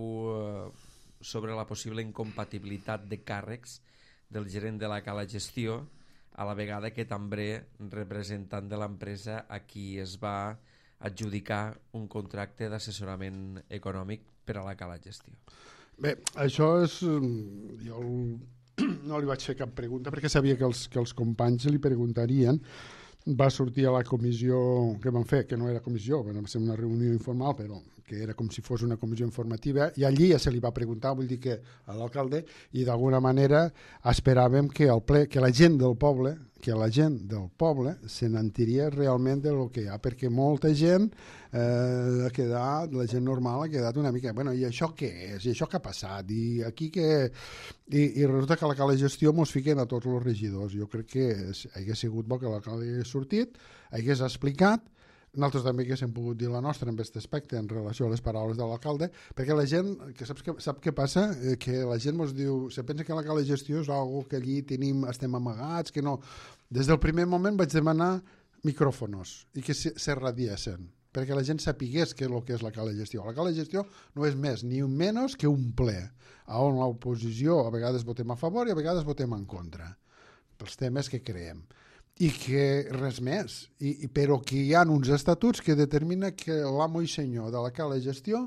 sobre la possible incompatibilitat de càrrecs del gerent de la Cala Gestió, a la vegada que també representant de l'empresa a qui es va adjudicar un contracte d'assessorament econòmic per a la Cala Gestió. Bé, això és... Jo no li vaig fer cap pregunta perquè sabia que els companys li preguntarien. Va sortir a la comissió que van fer, que no era comissió, va ser una reunió informal, però que era com si fos una comissió informativa, i allí ja se li va preguntar, vull dir que a l'alcalde, i d'alguna manera esperàvem que la gent del poble se n'entiria realment del que hi ha, perquè molta gent ha quedat, la gent normal ha quedat una mica, bueno, i això què és? I això què ha passat? I aquí què... I resulta que a la Cala Gestió mos fiquen a tots els regidors. Jo crec que hagués sigut bo que l'alcalde hagués sortit, hagués explicat. Nosaltres també haguéssim pogut dir la nostra en aquest aspecte en relació a les paraules de l'alcalde, perquè la gent, que sap què passa? Que la gent ens diu, se pensa que la Cala Gestió és algo que allí estem amagats, que no. Des del primer moment vaig demanar micròfonos i que se radiessin, perquè la gent sapigués què és el que és la Cala Gestió. La Cala Gestió no és més ni un menys que un ple, on l'oposició a vegades votem a favor i a vegades votem en contra, pels temes que creem. I que res més, però que hi ha uns estatuts que determina que l'amo i senyor de la Cala Gestió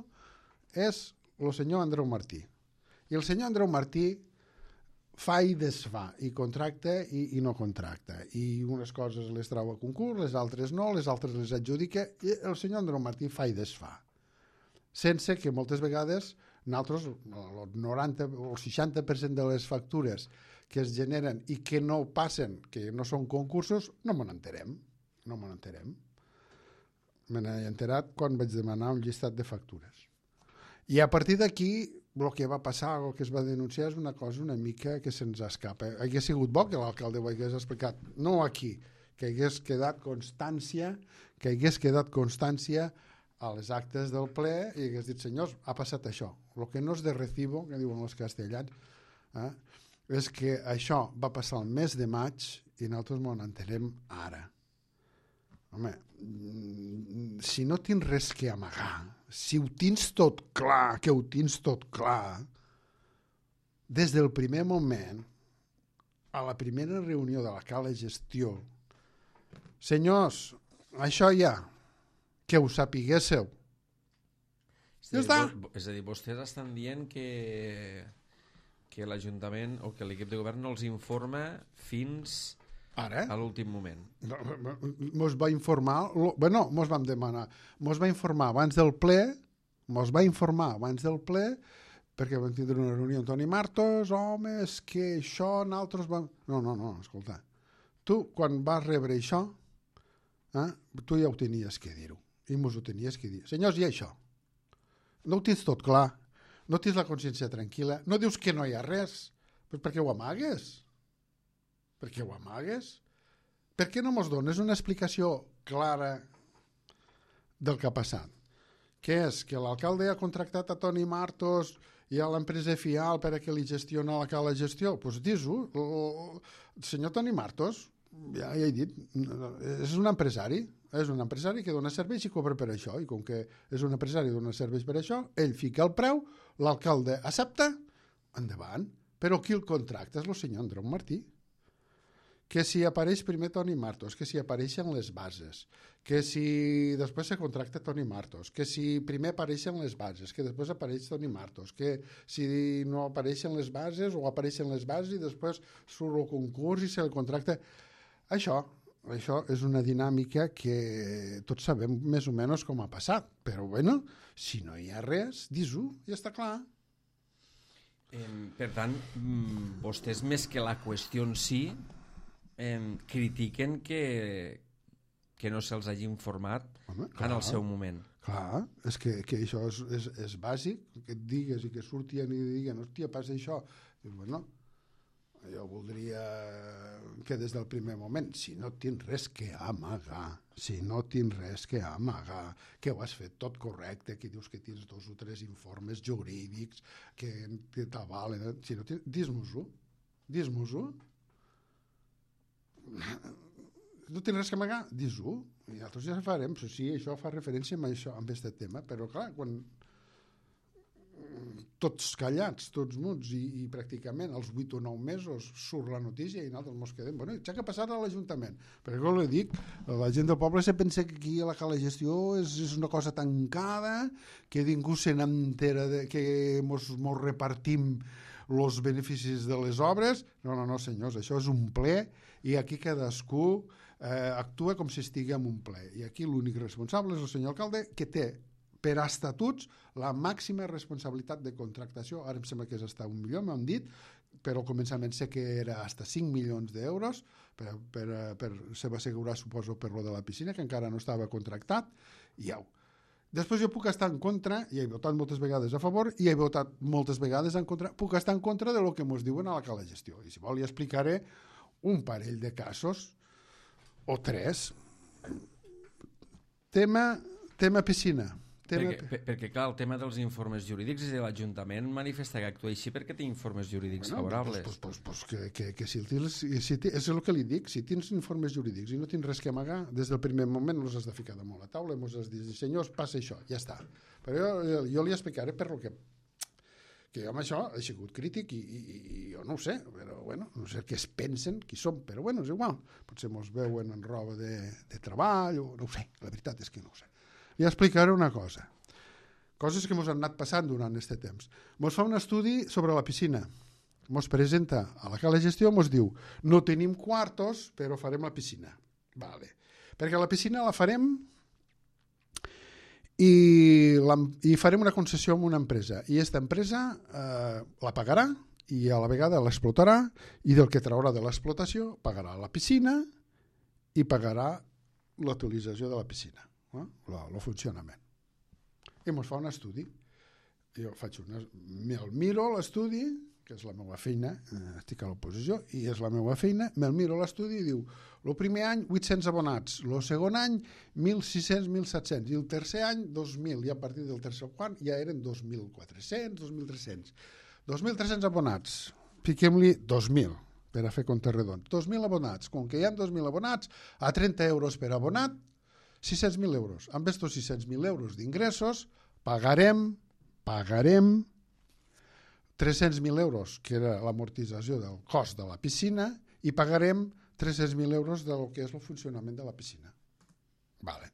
és el senyor Andreu Martí. I el senyor Andreu Martí fa i desfà, i contracta i no contracta. I unes coses les trau a concurs, les altres no, les altres les adjudica, i el senyor Andreu Martí fa i desfà. Sense que moltes vegades nosaltres, el 90 o el 60% de les factures que es generen i que no passen, que no són concursos, no me n'enterem. Me n'he enterat quan vaig demanar un llistat de factures. I a partir d'aquí, el que va passar, el que es va denunciar, és una cosa una mica que se'ns escapa. Hauria sigut bo que l'alcalde ho hagués explicat, no aquí, que hagués quedat constància a les actes del ple i hagués dit, senyors, ha passat això. El que no és de recibo, que diuen els castellans, és que això va passar el mes de maig i nosaltres m'ho entenem ara. Home, si no tens res que amagar, si ho tens tot clar, que ho tens tot clar, des del primer moment, a la primera reunió de la cala gestió, senyors, això ja, que ho sapiguésseu. Ja està. És a dir, vostès estan dient que l'Ajuntament o que l'equip de govern no els informa fins ara a l'últim moment. Mos va informar, mos vam demanar, mos va informar abans del ple, perquè vam tindre una reunió amb Toni Martos, home, és que això nosaltres vam... No, escolta, tu quan vas rebre això, tu ja ho tenies que dir-ho, i mos ho tenies que dir. Senyors, i això? No ho tens tot clar, no tens la consciència tranquil·la, no dius que no hi ha res, però per què ho amagues? Per què ho amagues? Per què no mos dones una explicació clara del que ha passat? Què és? Que l'alcalde ha contractat a Toni Martos i a l'empresa Fial per a que li gestiona la cala gestió? Doncs dis-ho. El senyor Toni Martos, ja he dit, és un empresari que dona serveis i cobra per això, i com que és un empresari i dona serveis per això, ell fica el preu, l'alcalde accepta, endavant. Però qui el contracta és el senyor Andreu Martí. Que si apareix primer Toni Martos, que si apareixen les bases, que si després se contracta Toni Martos, que si primer apareixen les bases, que després apareix Toni Martos, que si no apareixen les bases o apareixen les bases i després surt el concurs i se el contracta. Això és una dinàmica que tots sabem més o menys com ha passat, però bueno, si no hi ha res, dis-ho, ja està clar. Per tant, vostès més que la qüestió en si critiquen que no se'ls hagi informat en el seu moment. Clar, és que això és bàsic, que et digues i que surtin i diguen, hòstia, passa això. I, bueno, jo voldria que des del primer moment, si no tens res que amagar, que ho has fet tot correcte, que dius que tens 2 o 3 informes jurídics que t'avalen, si no tens, dis-mos-ho. No tens res que amagar, dis-ho, i nosaltres ja farem, sí, això fa referència a aquest tema, però clar, quan tots callats, tots muts, i pràcticament als 8 o 9 mesos surt la notícia i nosaltres ens quedem, bueno, ja que ha passat a l'Ajuntament, perquè com li dic, la gent del poble se pensa que aquí a la cala gestió és una cosa tancada, que ningú se n'entera que mos repartim els beneficis de les obres. No, senyors, això és un ple i aquí cadascú actua com si estigui en un ple. I aquí l'únic responsable és el senyor alcalde, que té per estatuts la màxima responsabilitat de contractació. Ara em sembla que és hasta 1 milió, m'han dit, però al començament sé que era hasta 5 milions d'euros, se va assegurar, suposo, per lo de la piscina, que encara no estava contractat, i au. Després jo puc estar en contra, i he votat moltes vegades a favor, i he votat moltes vegades en contra, puc estar en contra de lo que ens diuen a la cala gestió. I si vol ja explicaré un parell de casos, o 3. Tema piscina. Perquè clar, el tema dels informes jurídics és l'Ajuntament manifesta que actua així perquè té informes jurídics favorables. Pues que si és el que li dic, si tens informes jurídics i no tens res que amagar, des del primer moment els has de ficar damunt la taula, els has de dir, senyors, passa això, ja està. Però jo li explicaré per lo que jo amb això he sigut crític i jo no ho sé, però bueno, no sé què es pensen, qui som, però bueno, és igual. Potser mos veuen en roba de treball, o no ho sé, la veritat és que no ho sé. Li explicaré una cosa. Coses que ens han anat passant durant aquest temps. Ens fa un estudi sobre la piscina. Ens presenta a la cala gestió, ens diu, no tenim quartos, però farem la piscina. Vale. Perquè la piscina la farem i farem una concessió amb una empresa. I aquesta empresa la pagarà i a la vegada l'explotarà i del que traurà de l'explotació pagarà la piscina i pagarà la utilització de la piscina. El funcionament. I ens fa un estudi. Jo me'l miro l'estudi que és la meva feina, estic a l'oposició, i és la meva feina, me'l miro a l'estudi i diu, el primer any 800 abonats, el segon any 1.600, 1.700, i el tercer any 2.000, i a partir del tercer o quart ja eren 2.400, 2.300. 2.300 abonats, fiquem-li 2.000 per a fer compte redons. 2.000 abonats, com que hi ha 2.000 abonats, a 30 euros per abonat, 600.000 euros. Amb estos 600.000 euros d'ingressos, pagarem 300.000 euros, que era l'amortització del cost de la piscina, i pagarem 300.000 euros del que és el funcionament de la piscina. Vale.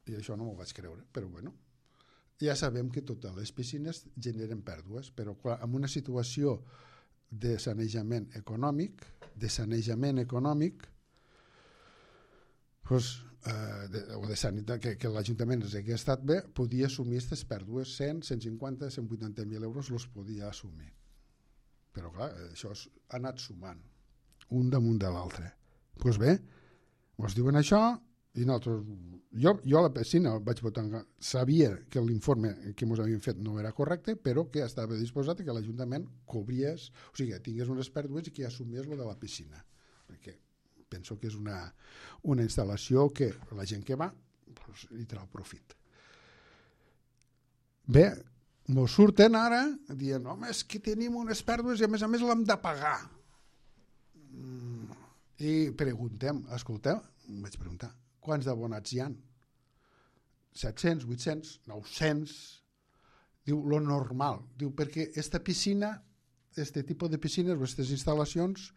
I això no m'ho vaig creure, però bueno. Ja sabem que totes les piscines generen pèrdues, però clar, en una situació de sanejament econòmic, doncs, o de sanitat, que l'Ajuntament hagués estat bé, podia assumir aquestes pèrdues, 100, 150, 180.000 euros els podia assumir. Però clar, això ha anat sumant, un damunt de l'altre. Doncs bé, ens diuen això, i nosaltres, jo a la piscina vaig votar, sabia que l'informe que ens havien fet no era correcte, però que estava disposat que l'Ajuntament cobriés, o sigui, que tingués unes pèrdues i que assumies lo de la piscina. Perquè penso que és una instal·lació que la gent que va doncs, hi trau profit. Bé, ens surten ara dient, home, és que tenim unes pèrdues i a més l'hem de pagar. I preguntem, escolteu, vaig preguntar, quants d'abonats hi ha? 700, 800, 900? Diu, lo normal. Diu, perquè aquesta piscina, aquest tipus de piscines, aquestes instal·lacions,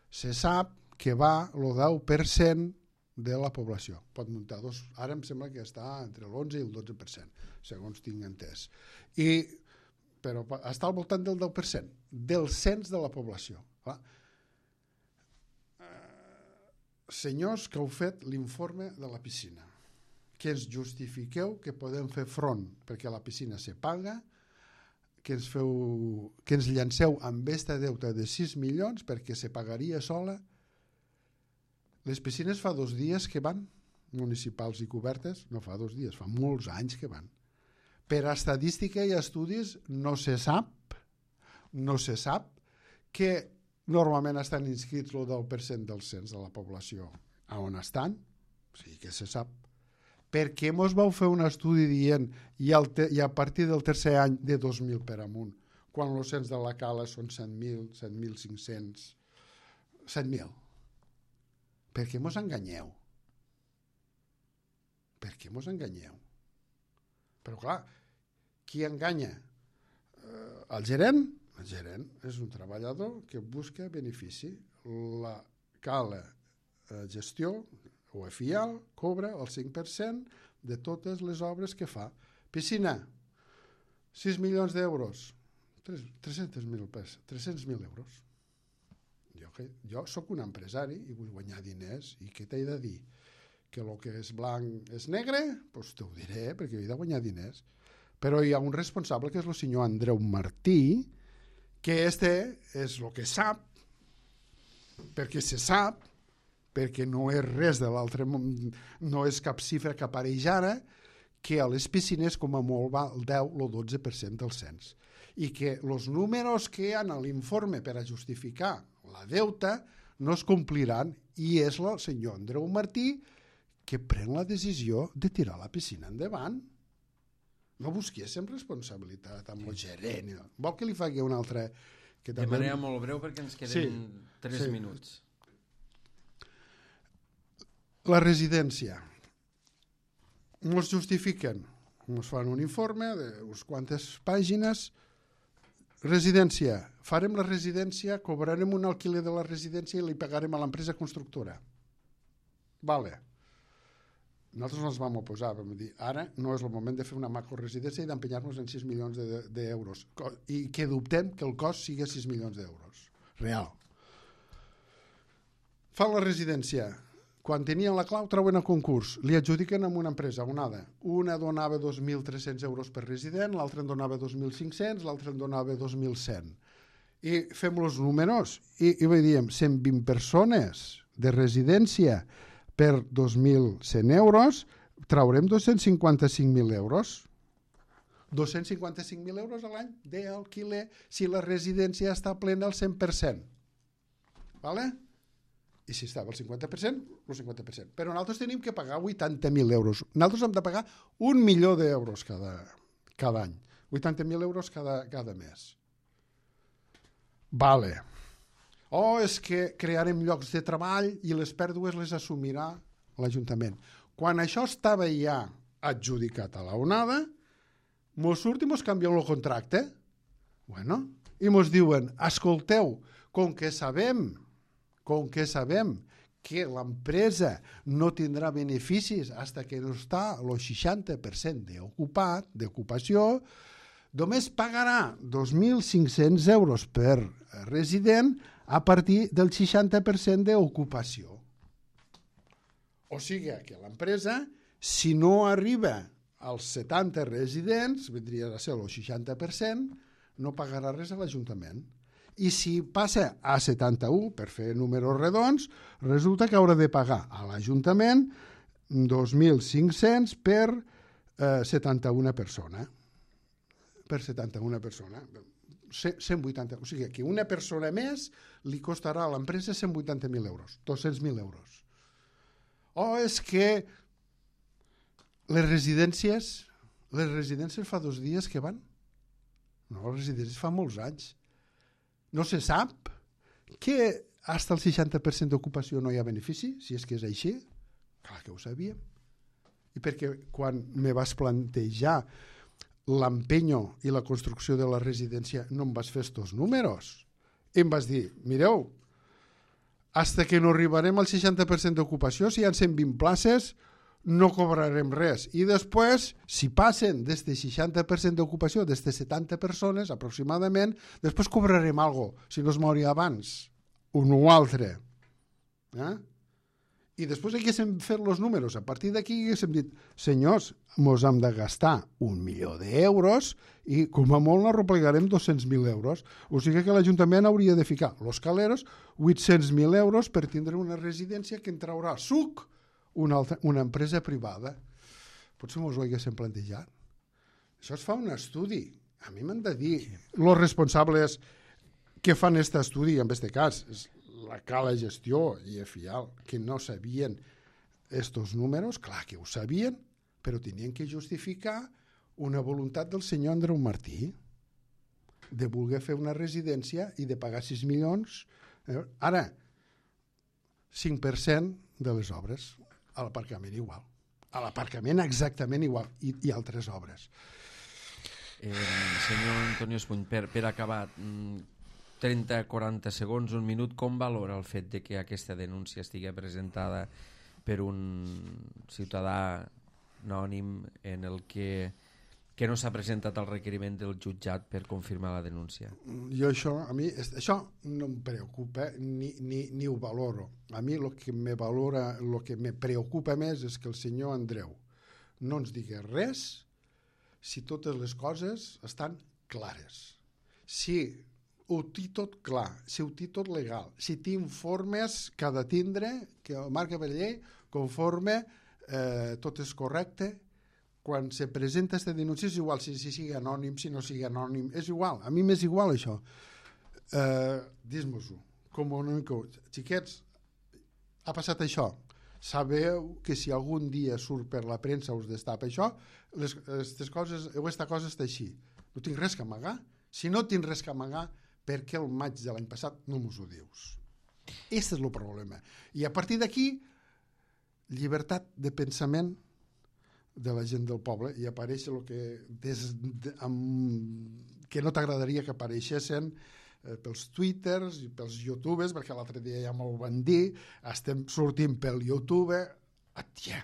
se sap que va el 10% de la població. Pot muntar dos. Ara em sembla que està entre l'11 i el 12%, segons tinc entès. Però està al voltant del 10%, del cens de la població. Clar. Senyors que heu fet l'informe de la piscina, que ens justifiqueu que podem fer front perquè la piscina se paga, que ens llanceu amb este deute de 6 milions perquè se pagaria sola. Les piscines fa 2 dies que van, municipals i cobertes, no fa 2 dies, fa molts anys que van. Per estadística i estudis no se sap que normalment estan inscrits el 10% del cens de la població. A on estan? Sí que se sap. Per què mos vau fer un estudi dient i a partir del tercer any de 2.000 per amunt, quan els cens de la cala són 100.000, 7.500, 7.000? Per què mos enganyeu? Però clar, qui enganya? El gerent? El gerent és un treballador que busca benefici. La cala gestió o FIAL cobra el 5% de totes les obres que fa. Piscina, 6 milions d'euros, 300.000 euros. Jo sóc un empresari i vull guanyar diners i què t'he de dir? Que el que és blanc és negre? Doncs t'ho diré perquè he de guanyar diners. Però hi ha un responsable que és el senyor Andreu Martí, que este és el que sap, perquè se sap, perquè no és res de l'altre món, no és cap xifra que apareix ara, que a les piscines com a molt va el 10 o el 12% del cens. I que els números que hi ha a l'informe per a justificar la deuta no es compliran i és el senyor Andreu Martí que pren la decisió de tirar la piscina endavant. No busquéssim responsabilitat amb el gerent. Vol que li faci una altra... De manera molt breu perquè ens queden 3 minuts. La residència. Ens justifiquen, ens fan un informe d'unes quantes pàgines. Residència. Farem la residència, cobrarem un alquiler de la residència i li pagarem a l'empresa constructora. Vale. Nosaltres ens vam oposar, vam dir, ara no és el moment de fer una macroresidència i d'empenyar-nos en 6 milions d'euros. I que dubtem que el cost sigui 6 milions d'euros. Real. Fan la residència. Quan tenien la clau, treuen a concurs. Li adjudiquen amb una empresa, onada. Una donava 2.300 euros per resident, l'altra en donava 2.500, l'altra en donava 2.100. I fem els números i diem 120 persones de residència per 2.100 euros, traurem 255.000 euros. 255.000 euros a l'any d'alquiler si la residència està plena al 100%. Vale? I si estava al 50%, el 50%. Però nosaltres tenim que pagar 80.000 euros. Nosaltres hem de pagar 1 milió d'euros cada any. 80.000 euros cada mes. Vale. És que crearem llocs de treball i les pèrdues les assumirà l'Ajuntament. Quan això estava ja adjudicat a la onada, mos surt i mos canvien el contracte. Bueno, i mos diuen, escolteu, com que sabem que l'empresa no tindrà beneficis fins que no està el 60% d'ocupació, només pagarà 2.500 euros per resident a partir del 60% d'ocupació. O sigui que l'empresa, si no arriba als 70 residents, vindria a ser el 60%, no pagarà res a l'Ajuntament. I si passa a 71, per fer números redons, resulta que haurà de pagar a l'Ajuntament 2.500 per 71 persones. Per 71 persones. 180. O sigui que una persona més li costarà a l'empresa 180.000 euros, 200.000 euros. És que les residències fa 2 dies que van? No, les residències fa molts anys. No se sap que fins al 60% d'ocupació no hi ha benefici, si és que és així. Clar que ho sabíem. I perquè quan me vas plantejar l'empenyo i la construcció de la residència no em vas fer estos números. I em vas dir, mireu, fins que no arribarem al 60% d'ocupació, si hi ha 120 places, no cobrarem res. I després, si passen d'este 60% d'ocupació, d'este 70 persones aproximadament, després cobrarem alguna cosa, si no es moria abans, un o altre. I després haguéssim fet els números. A partir d'aquí haguéssim dit, senyors, mos hem de gastar 1 milió d'euros i com a molt nos replegarem 200.000 euros. O sigui que l'Ajuntament hauria de ficar los caleros 800.000 euros per tindre una residència que en traurà suc una empresa privada. Potser mos ho haguéssim plantejat. Això es fa un estudi. A mi m'han de dir els responsables que fan aquest estudi, en aquest cas, és la Cala Gestió i FIAL, que no sabien estos números, clar que ho sabien, però tenien que justificar una voluntat del senyor Andreu Martí de voler fer una residència i de pagar 6 milions. Ara, 5% de les obres. A l'aparcament igual. A l'aparcament exactament igual. I altres obres. Senyor Antonio Espuny, per acabar, 30-40 segons, un minut, com valora el fet de que aquesta denúncia estigui presentada per un ciutadà anònim en el que no s'ha presentat el requeriment del jutjat per confirmar la denúncia? Jo això no em preocupa ni ho valoro. A mi el que me preocupa més és que el senyor Andreu no ens digui res si totes les coses estan clares. Si ho té tot clar, si ho té tot legal, si té informes que ha de tindre, que el marca per llei, conforme tot és correcte. Quan se presenta aquesta denúncia és igual si sigui anònim, si no sigui anònim, és igual, a mi m'és igual això. Dis-mos-ho, com una mica, xiquets, ha passat això, sabeu que si algun dia surt per la premsa us destapa això, aquesta cosa està així, no tinc res que amagar. Si no tinc res que amagar, per què el maig de l'any passat no mos ho dius? Aquest és el problema. I a partir d'aquí, llibertat de pensament de la gent del poble, i apareix el que no t'agradaria que apareixessin pels twitters i pels youtubers, perquè l'altre dia ja m'ho van dir, estem sortint pel YouTube. Hòstia,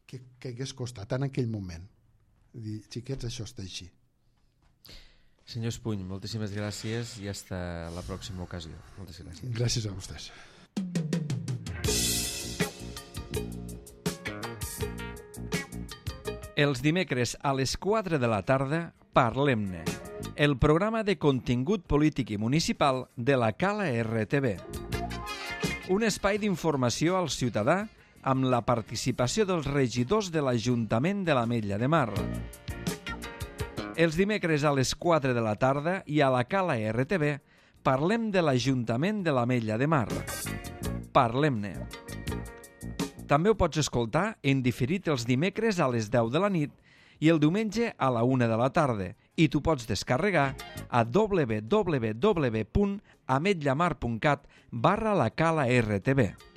que hagués costat en aquell moment dir, xiquets, això està així. Senyor Espuny, moltíssimes gràcies i fins a la pròxima ocasió. Moltes gràcies. Gràcies a vostès. Els dimecres a les 4 de la tarda, Parlem-ne, el programa de contingut polític i municipal de la Cala RTV. Un espai d'informació al ciutadà amb la participació dels regidors de l'Ajuntament de l'Ametlla de Mar. Els dimecres a les 4 de la tarda i a la Cala RTV parlem de l'Ajuntament de l'Ametlla de Mar. Parlem-ne. També ho pots escoltar en diferit els dimecres a les 10 de la nit i el diumenge a la 1 de la tarda i t'ho pots descarregar a www.ametllamar.cat/la Cala RTV.